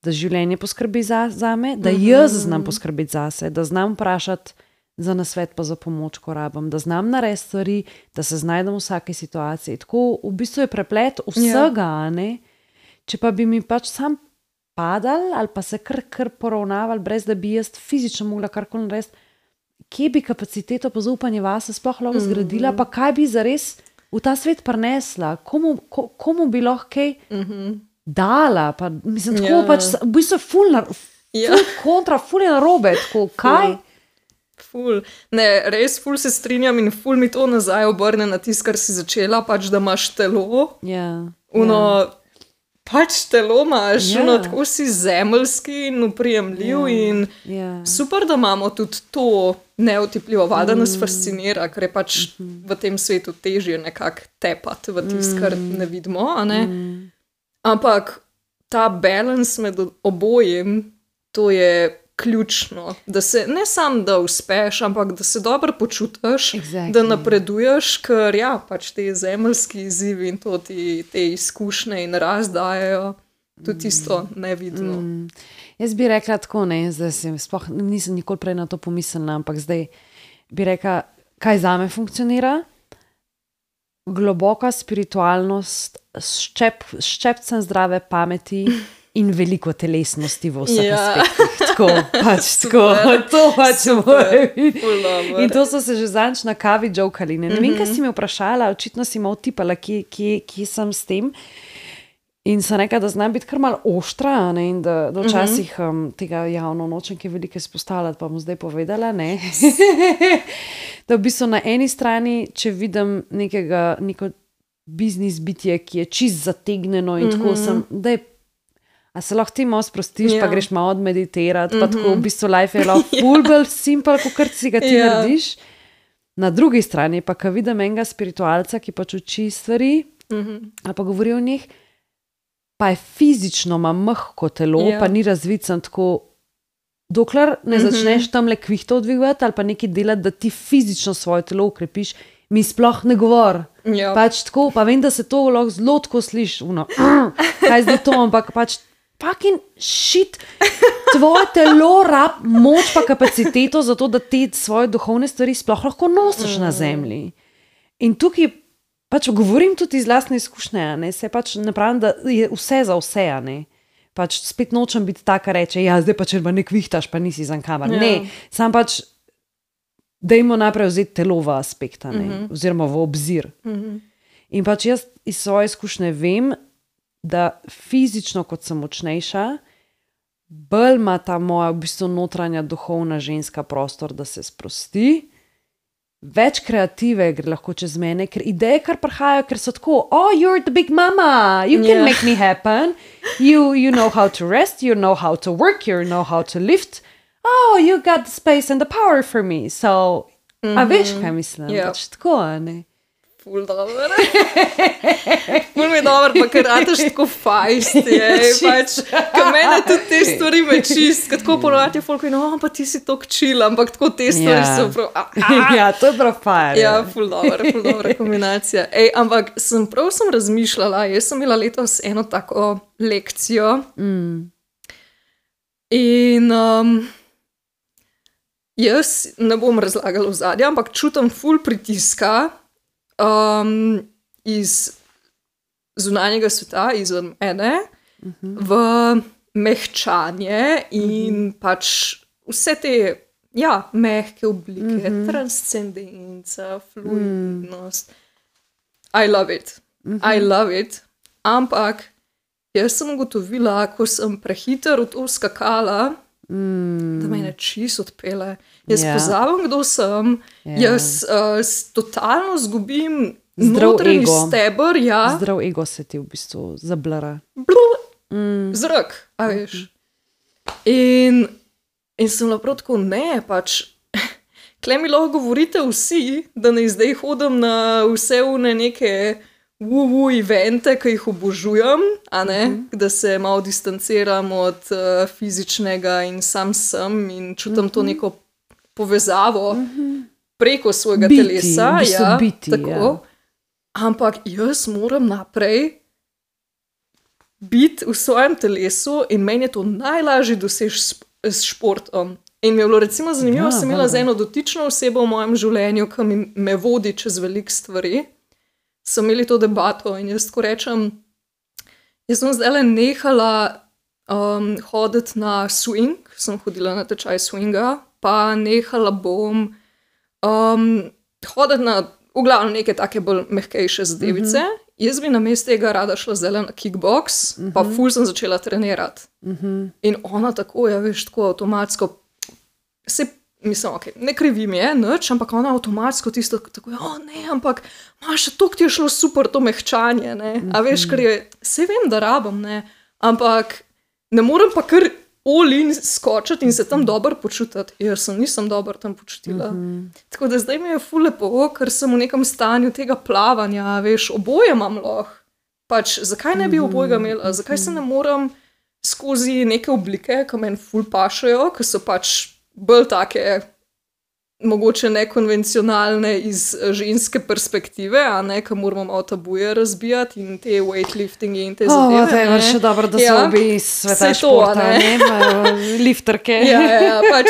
da življenje poskrbi za, za me, da jaz znam poskrbeti zase, da znam vprašati za nasvet pa za pomoč, ko rabim, da znam narediti stvari, da se znajdem v vsaki situaciji. Tako v bistvu je preplet vsega, yeah. ne? Če pa bi mi pač sam padal ali pa se kar, kar poravnaval, brez da bi jaz fizično mogla karkoli narediti, kje bi kapaciteto pa zaupanje vase sploh lahko zgradila, mm -hmm. pa kaj bi zares v ta svet prinesla, komu, ko, komu bi lahko kaj mm -hmm. dala, pa mislim, tako yeah. pač, v bistvu je ful, na, ful yeah. kontra, ful je narobe, tako, kaj? Ful. Ful. Ne, res ful se strinjam in ful mi to nazaj obrne na tisto, kar si začela, pač da imaš telo, yeah. uno, yeah. pač telo imaš, yeah. uno, tako si zemeljski in uprijemljiv yeah. in yeah. super, da imamo tudi to neotipljivo, da nas mm. fascinira, ker je pač mm -hmm. v tem svetu težje nekako tepati v tisto, kar ne vidimo, a ne? Mm. Ampak ta balans med obojim, to je ključno, da se ne samo da uspeš, ampak da se dobro počutiš, exactly. da napreduješ, ker ja, pač te zemeljski izzivi in to ti te izkušnje in razdajajo tudi isto nevidno. Mm. Jaz bi rekla tako, ne, zdaj sem, sploh nisem nikoli prej na to pomislila, ampak zdaj bi rekla, kaj zame funkcionira? Globoka spiritualnost, ščep, ščepcem zdrave pameti in veliko telesnosti v vseh ja. aspektih. Tako, pač tako, to pač mora biti. In to so se že zanč na kavi jokali. Ne, ne mm -hmm. vem, kaj si me vprašala, očitno si me utipala, kje, kje, kje sem s tem. In sem rekla, da znam biti kar malo oštra, ne, in da, da včasih um, tega javno nočem, ki je veliko izpostavljati, pa bom zdaj povedala, ne. Da v bistvu na eni strani, če vidim nekega, neko biznis bitje, ki je čist zategneno in mm -hmm. tako sem, da je, a se lahko ti malo sprostiš, yeah. pa greš malo odmeditirati, mm -hmm. pa tako v bistvu life je lahko ful bolj simple, kot kar si ga ti yeah. narediš. Na drugi strani pa, ko vidim enega spiritualca, ki pač uči stvari, mm -hmm. ali pa govori o njih, pa je fizično, ima mehko telo, yeah. pa ni razvicen tako, dokler ne mm -hmm. začneš tam le kvihto dvigovati ali pa nekaj delati, da ti fizično svoje telo ukrepiš, mi sploh ne govor. Yeah. Pač tako, pa vem, da se to lahko zelo tako sliši, uno, kaj zdaj to, ampak pač fucking shit, tvoje telo rab moč pa kapaciteto za to, da te svoje duhovne stvari sploh lahko nosiš mm. na zemlji. In tukaj pač govorim tudi iz lastne izkušnje, ne, se pač ne pravim, da je vse za vse, ne. Pač spet nočem biti taka reče, ja, zdaj pa če pa ne kvihtaš, pa nisi za kamar. Yeah. Ne, sam pač dajmo naprej vzeti telo v aspekta, ne, mm -hmm. oziroma v obzir. Mm -hmm. In pač jaz iz svoje izkušnje vem, da fizično, kot sem močnejša, bolj ima ta moja v bistvu notranja duhovna ženska prostor, da se sprosti, več kreative gre lahko čez mene, ker ideje kar prihajajo, ker so tako, oh, you're the big mama, you can yeah. make me happen, you, you know how to rest, you know how to work, you know how to lift, oh, you got the space and the power for me, so, mm-hmm. a veš, kaj mislim, yep. pač tako, ne. Ful dobro. Ful mi je dobro, pa ker rataš tako fajst, je, pač, ka mene tudi te stvari me čist, tako ponovati je folk, no, pa ti si tok chill, ampak tako te stvari yeah. so prav, a, a. Ja, to je prav fajn. Ja, ful dobro, ful dobra kombinacija. Ej, ampak sem prav sem razmišljala, jaz sem imela letos eno tako lekcijo mm. in um, jaz ne bom razlagala v zadnje, ampak čutim ful pritiska Um, iz zunanjega sveta, izven mene, uh-huh. v mehčanje in mm -hmm. pač vse te ja, mehke oblike, mm -hmm. transcendenca, fluidnost. I love it. Mm -hmm. I love it. Ampak jaz sem ugotovila, ko sem prehiter v to skakala, mm. da me ne čisto odpele. Jaz yeah. pozabim, kdo sem. Yeah. Jaz uh, totalno zgubim notranji steber. Ja. Zdrav ego se ti v bistvu zablara. Mm. Zrak, a veš. In, in sem naprav tako, ne, pač, kle mi lahko govorite vsi, da ne zdaj hodim na vse une neke wu-wu evente, ki jih obožujem, a ne, mm -hmm. da se malo distanciram od uh, fizičnega in sam sem in čutim mm -hmm. to neko povezavo mm -hmm. preko svojega biti, telesa. V bistvu ja, biti, tako. Ja. Ampak jaz moram naprej biti v svojem telesu in meni je to najlažje doseči s, s športom. In mi je bilo recimo zanimivo, ja, sem imela z eno dotično osebo v mojem življenju, ki mi me vodi čez veliko stvari. So imeli to debato in jaz tako rečem, jaz sem zdaj nehala um, hoditi na swing, sem hodila na tečaj swinga, pa nehala bom um, hoditi na v glavnem neke take bolj mehkejše zadevice. Mm -hmm. Jaz bi namesto tega rada šla zdaj na kickbox, mm -hmm. pa ful sem začela trenirati. Mm -hmm. In ona tako, ja veš, tako avtomatsko, se mislim, okay, ne krivim je, nič, ampak ona avtomatsko tisto, tako je, o ne, ampak Maša, to ti je šlo super, to mehčanje, ne, mm -hmm. a veš, ker je, se vem, da rabim, ne, ampak ne morem pa kar all in skočiti in se tam dobro počutiti, jer sem nisem dobro tam počutila. Mm -hmm. Tako da zdaj mi je ful lepo, ker sem v nekem stanju tega plavanja, veš, oboje imam lahko. Pač, zakaj ne bi obojega imela, zakaj se ne moram skozi neke oblike, ki meni ful pašajo, ki so pač bolj take, mogoče nekonvencionalne iz ženske perspektive, a ne, ki moramo malo tabuje razbijati in te weightliftingi in te zadeve. O, to je še dobro, da ja. so obi iz sveta športa, ne, ne lifterke. Ja, ja, ja, pač,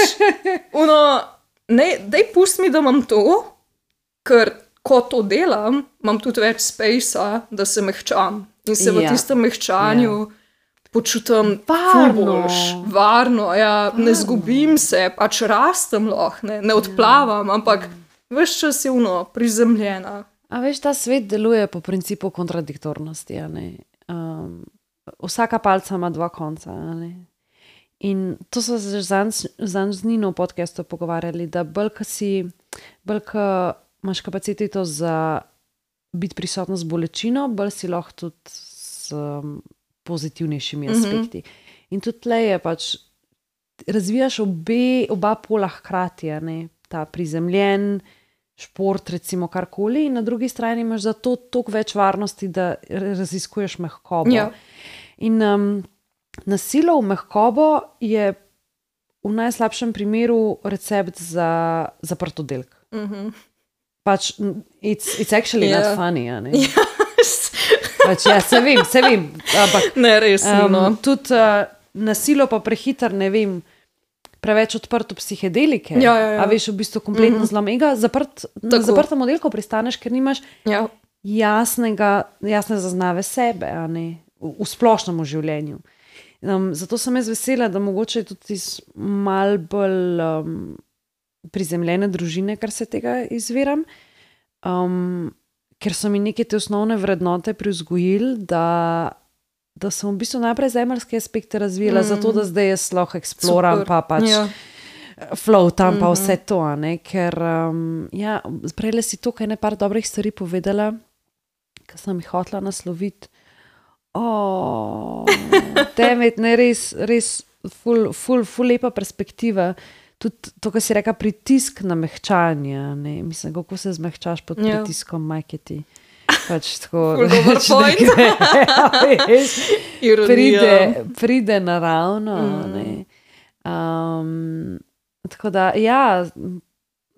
ono, ne, daj pusti mi, da imam to, ker ko to delam, imam tudi več spacea, da se mehčam in se v ja. tistem mehčanju ja. počutim varno, varno, ja, varno. Ne zgubim se, pač rastem lahko, ne, ne odplavam, ja. ampak ves čas je ono, prizemljena. A veš, ta svet deluje po principu kontradiktornosti, a ne. Um, vsaka palca ima dva konca, a ne. In to so se zanj z Nino v podcastu pogovarjali, da bolj, ko si, bolj, ko imaš kapaciteto za biti prisotna z bolečino, bolj si lahko tudi s um, pozitivnejšimi aspekti. Mm-hmm. In tudi tle je pač, razvijaš obe, oba pola hkrati, ne, ta prizemljen šport, recimo karkoli, in na drugi strani imaš za to toliko več varnosti, da raziskuješ mehkobo. Ja. In um, nasilo v mehkobo je v najslabšem primeru recept za zaprt oddelek. Mm-hmm. Pač, it's, it's actually yeah. not funny, a ne? Yes. Pač, ja, se vem, se vem, ampak ne, res, um, no. tudi uh, nasilo pa prehiter, ne vem, preveč odprto psihedelike, ja, ja, ja. a veš, v bistvu kompletno mm-hmm. zlom ega, zaprt, na zaprtem oddelku pristaneš, ker nimaš ja. jasnega, jasne zaznave sebe, a ne, v, v splošnem življenju. Um, zato sem jaz vesela, da mogoče tudi iz mal bolj um, prizemljene družine, kar se tega izviram, um, ker so mi neke te osnovne vrednote privzgojili, da, da sem v bistvu najprej zemeljske aspekte razvijala, mm. zato da zdaj jaz lahko eksploram, pa pač ja. floatam, pa vse to, ne? Ker um, ja, prejle si tukaj nekaj dobrih stvari povedala, ki sem jih hotela nasloviti. Oh, temet, ne, res, res ful, ful, ful lepa perspektiva. Tudi to, kar si reka, pritisk na mehčanje, ne, mislim, kako se zmehčaš pod yeah. pritiskom majketi. Pač tako, ful dober point. Ja, pride, pride naravno, mm. ne. Um, tako da, ja,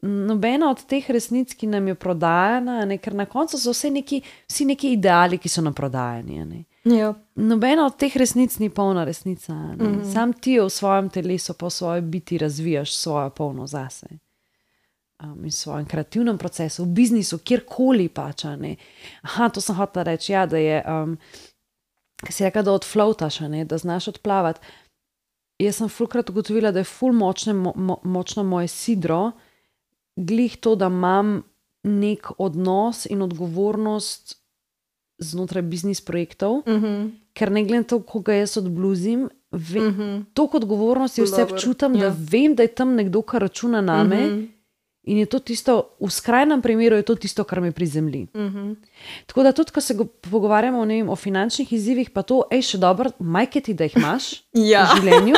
nobena od teh resnic, ki nam je prodajana, ne, ker na koncu so vse neki, vsi neki ideali, ki so nam prodajani, ne. Ja. Nobena od teh resnic ni polna resnica. Mm-hmm. Sam ti v svojem telesu, pa v svoji biti razvijaš svojo polno zase. Um, in v svojem kreativnem procesu, v biznisu, kjerkoli pač. Ne. Aha, to sem hotela reči, ja, da je um, ki si rekel, da odfloataš, ne, da znaš odplavati. Jaz sem fulkrat ugotovila, da je ful močne, mo, mo, močno moje sidro, glih to, da imam nek odnos in odgovornost znotraj biznis projektov, Mhm. ker ne glede na to, ko ga jaz odbluzim, ve, Mhm. toliko odgovornosti vse Dober, občutam, da ja. vem, da je tam nekdo, kar računa name, Mhm. in je to tisto, v skrajnem primeru je to tisto, kar me prizemlji. Mhm. Tako da tudi, ko se go, pogovarjamo ne vem, o finančnih izzivih, pa to, ej, še dobro, majke ti, da jih imaš Ja. v življenju,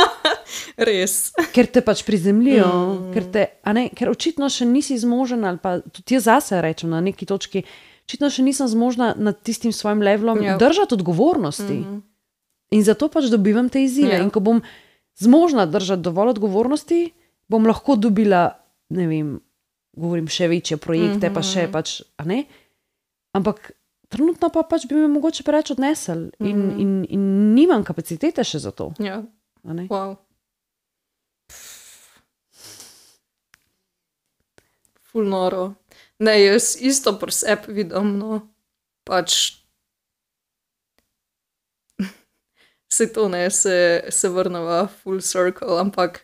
Res. ker te pač prizemljijo, Mm. mm. ker, te, a ne, ker očitno še nisi zmožen, ali pa tudi jaz zase rečem na neki točki, očitno še nisem zmožna nad tistim svojim levelom Ja. držati odgovornosti. Mhm. In zato pač dobivam te izzive. Ja. In ko bom zmožna držati dovolj odgovornosti, bom lahko dobila, ne vem, govorim še večje projekte, Mhm. pa še pač, a ne. Ampak trenutno pa pač bi me mogoče preveč odnesel in, Mhm. in, in nimam kapacitete še za to. Ja. A ne? Wow. Ful noro. Ne, jaz isto pri sebi vidim, no, pač se to ne, se, se vrneva full circle, ampak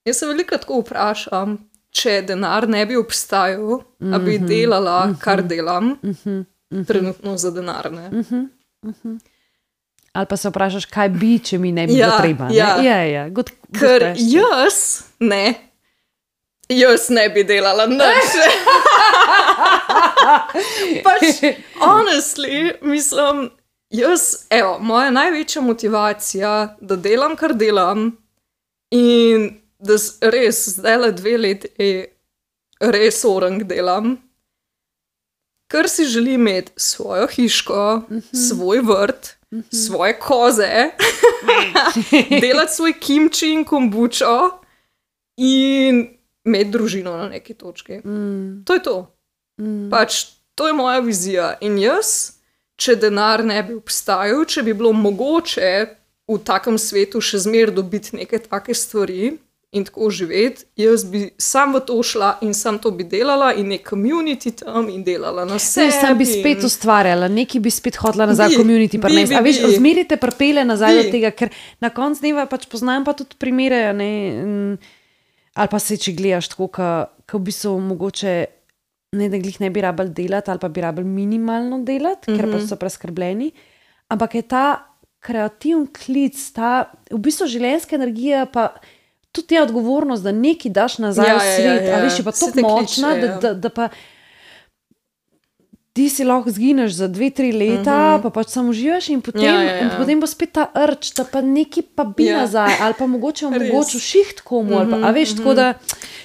jaz se veliko tako vprašam, če denar ne bi obstajal, mm -hmm. a bi delala, mm -hmm. kar delam, Mm -hmm. trenutno za denar, ne. Mm -hmm. Mm -hmm. Ali pa se vprašaš, kaj bi, če mi ne bi Ja, bilo treba. Ne? ja. ja, ja. Good, good Ker question. jaz ne, jaz ne bi delala nič. Pač, honestly, mislim, jaz, evo, moja največja motivacija, da delam, kar delam, in da s- res zdaj le dve leti res orang delam, ker si želim imeti svojo hiško, svoj vrt, svoje koze, delati svoj kimči in kombučo in imeti družino na neki točki. Mm, To je to. mm. Pač to je moja vizija. In jaz, če denar ne bi obstajal, če bi bilo mogoče v takem svetu še zmeraj dobiti neke take stvari in tako živeti, jaz bi sam v to šla in sam to bi delala in nek community tam in delala na Vse, sebi. sam bi spet in- ustvarjala, nekaj bi spet hodila nazaj Bi, v community. bi, Bi, bi, A veš, bi. zmeri te prpele nazaj Bi. do tega, ker na koncu dneva pač poznam pa tudi primere, a ne, m, ali pa se, če gledaš tako, ko v bistvu mogoče ne, da glih ne bi rabili delati, ali pa bi rabili minimalno delati, mm -hmm. ker pa so preskrbljeni, ampak je ta kreativni klic, ta v bistvu življenjska energija, pa tudi ta odgovornost, da nekaj daš nazaj Ja, v ja, svet, ja, a ja. veš, je pa Se tako te močna, kliče, da, ja. da, da pa ti si lahko zgineš za dve, tri leta, uh -huh. pa pač samo uživaš in potem, Ja, ja, ja. in potem bo spet ta rč, da pa nekaj pa bi Ja. nazaj, ali pa mogoče Res. omogočil šiht komu, ali pa, a veš, tako da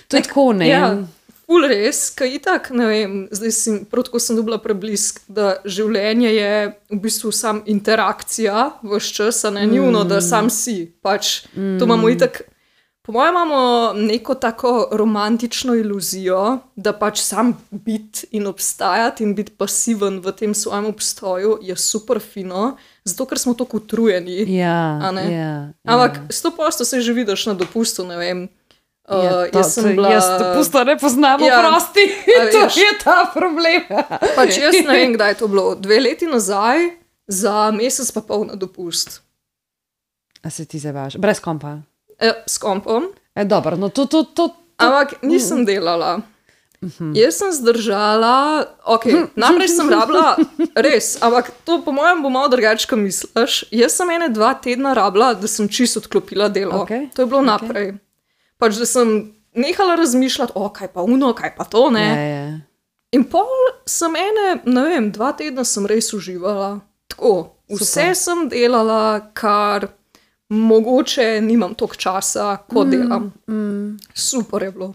to je Nek- tako, ne. Ja, ful res, kaj itak, ne vem, zdaj sem, prav tako sem dobila preblisk, da življenje je v bistvu sam interakcija vse čas, a ne njuno, da sam si. Pač to imamo itak, po mojem imamo neko tako romantično iluzijo, da pač sam biti in obstajati in biti pasiven v tem svojem obstoju je super fino, zato ker smo tako utrujeni. Ja, A ne? ja, Ampak ja. sto posto se že vidiš na dopustu, ne vem. Uh, Ja, to- jaz sem to- bila... Jaz dopusta ne poznam, Ja, prosti. a To veš. je ta problem. Pač jaz ne vem, kdaj je to bilo. Dve leti nazaj, za mesec pa pol na dopust. A se ti zabaš? Brez kompa. E, s kompom, E, dobro, no to, to, to, ampak nisem delala. Jaz sem zdržala, ok, najprej sem rabila, res, ampak to po mojem bo malo drugače, kot misliš. Jaz sem ene dva tedna rabila, da sem čisto odklopila delo. Okej, To je bilo naprej. Pač, da sem nehala razmišljati, o, kaj pa uno, kaj pa to, ne. ja, ja. In pol sem ene, ne vem, dva tedna sem res uživala. Tako, vse Super. sem delala, kar mogoče nimam toliko časa, ko mm, delam. Mm, Super je bilo.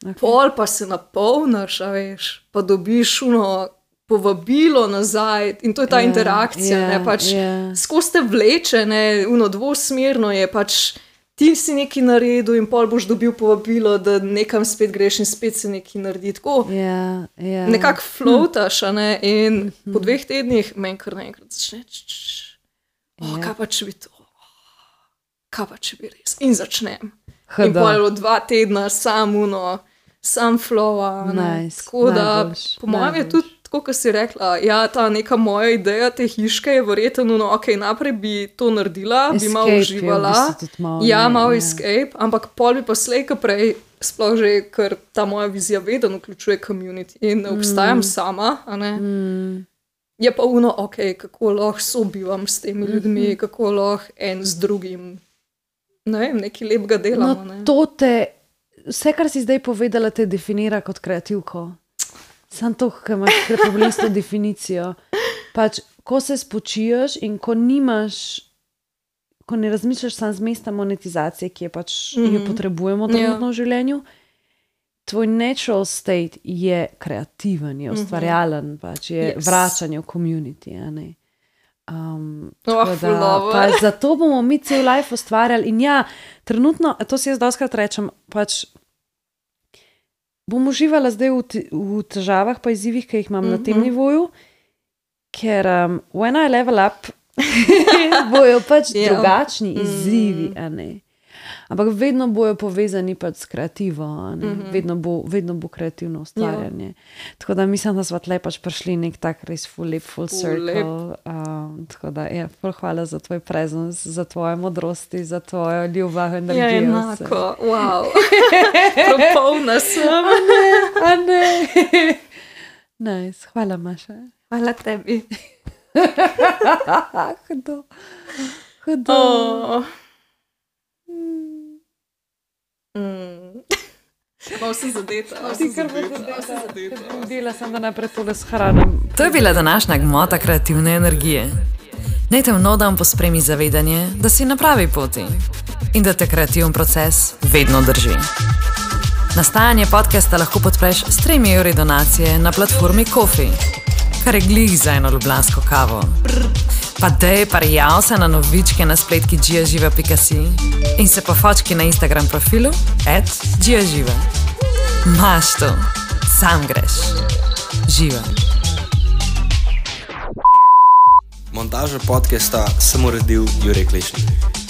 okej. Pol pa se napolniš, a veš, pa dobiš uno povabilo nazaj in to je ta Ja, interakcija, ja, ne, pač ja. skozi te vleče, ne, uno dvosmerno je pač. Ti si nekaj naredil in pol boš dobil povabilo, da nekam spet greš in spet se nekaj naredi. Tako Ja, ja. nekako floataš, a ne, in po dveh tednih meni kar naenkrat začne, č, č, č. Oh, Ja. kaj pa če bi to, kaj pa če bi res. In začnem. In Hda. pol je bilo dva tedna samuno, sam flowa. a ne. Nice, Tako da, najboljš, po mojem je najboljš. tudi tako, kot si rekla, ja, ta neka moja ideja te hiške je verjetno, no, ok, naprej bi to naredila, Escape, bi malo uživala, je v bistvu tudi malo, ja, ne, malo ja. escape, ampak pol bi pa slej, ko prej, sploh že, ker ta moja vizija vedno vključuje community in ne obstajam mm. sama, a ne. Mm. Je pa uno, ok, kako lahko sobivam s temi ljudmi, mm-hmm. kako lahko en z drugim, ne vem, nekaj lepega delamo. No, ne. to te, vse, kar si zdaj povedala, te definira kot kreativko. Sam to, ko imaš problem s to definicijo. Pač, ko se spočiješ in ko nimaš, ko ne razmišljaš sam z mesta monetizacije, ki je pač, mm-hmm. jo potrebujemo trenutno v življenju, tvoj natural state je kreativen, je ustvarjalen, pač je yes. vračanje v community, a ne. Um, oh, da, pač, zato bomo mi cel life ustvarjali in ja, trenutno, to si jaz doskrat rečem, pač bom uživala zdaj v, t- v težavah pa izzivih, ki jih imam mm-hmm. na tem nivoju, ker um, when I level up bojo pač yeah. drugačni izzivi, mm-hmm. a ne. Ampak vedno bojo povezani pač s kreativo, a ne. Mm-hmm. Vedno bo, vedno bo kreativno ustvarjanje. Yeah. Tako da mislim, da smo tle pač prišli nek tak res full lep, full, full circle. Um, tako da, ja, hvala za tvoj presence, za tvoje modrosti, za tvojo ljubav, energijo. Ja, enako, wow. Propolna sem. A ne, a ne. Nice, hvala, Maša. Hvala tebi. Hudo. Hudo. Oh. Mm. Malo sem zadeta. Malo sem zadeta. Videla sem, da naprej tole s hranom. To je bila današnja gmota kreativne energije. Naj te v nov dan pospremi zavedanje, da si na pravi poti in da te kreativen proces vedno drži. Nastajanje podcasta lahko podpreš s tremi evri donacije na platformi Ko-fi, kar je glih za eno ljubljansko kavo. Pa dej parjav se na novičke na spletki giaživa pika si in se pofočki na Instagram profilu at giaživa. Maš to, sam greš. Živa. Montažo podcasta sem uredil Jurek Lešnik.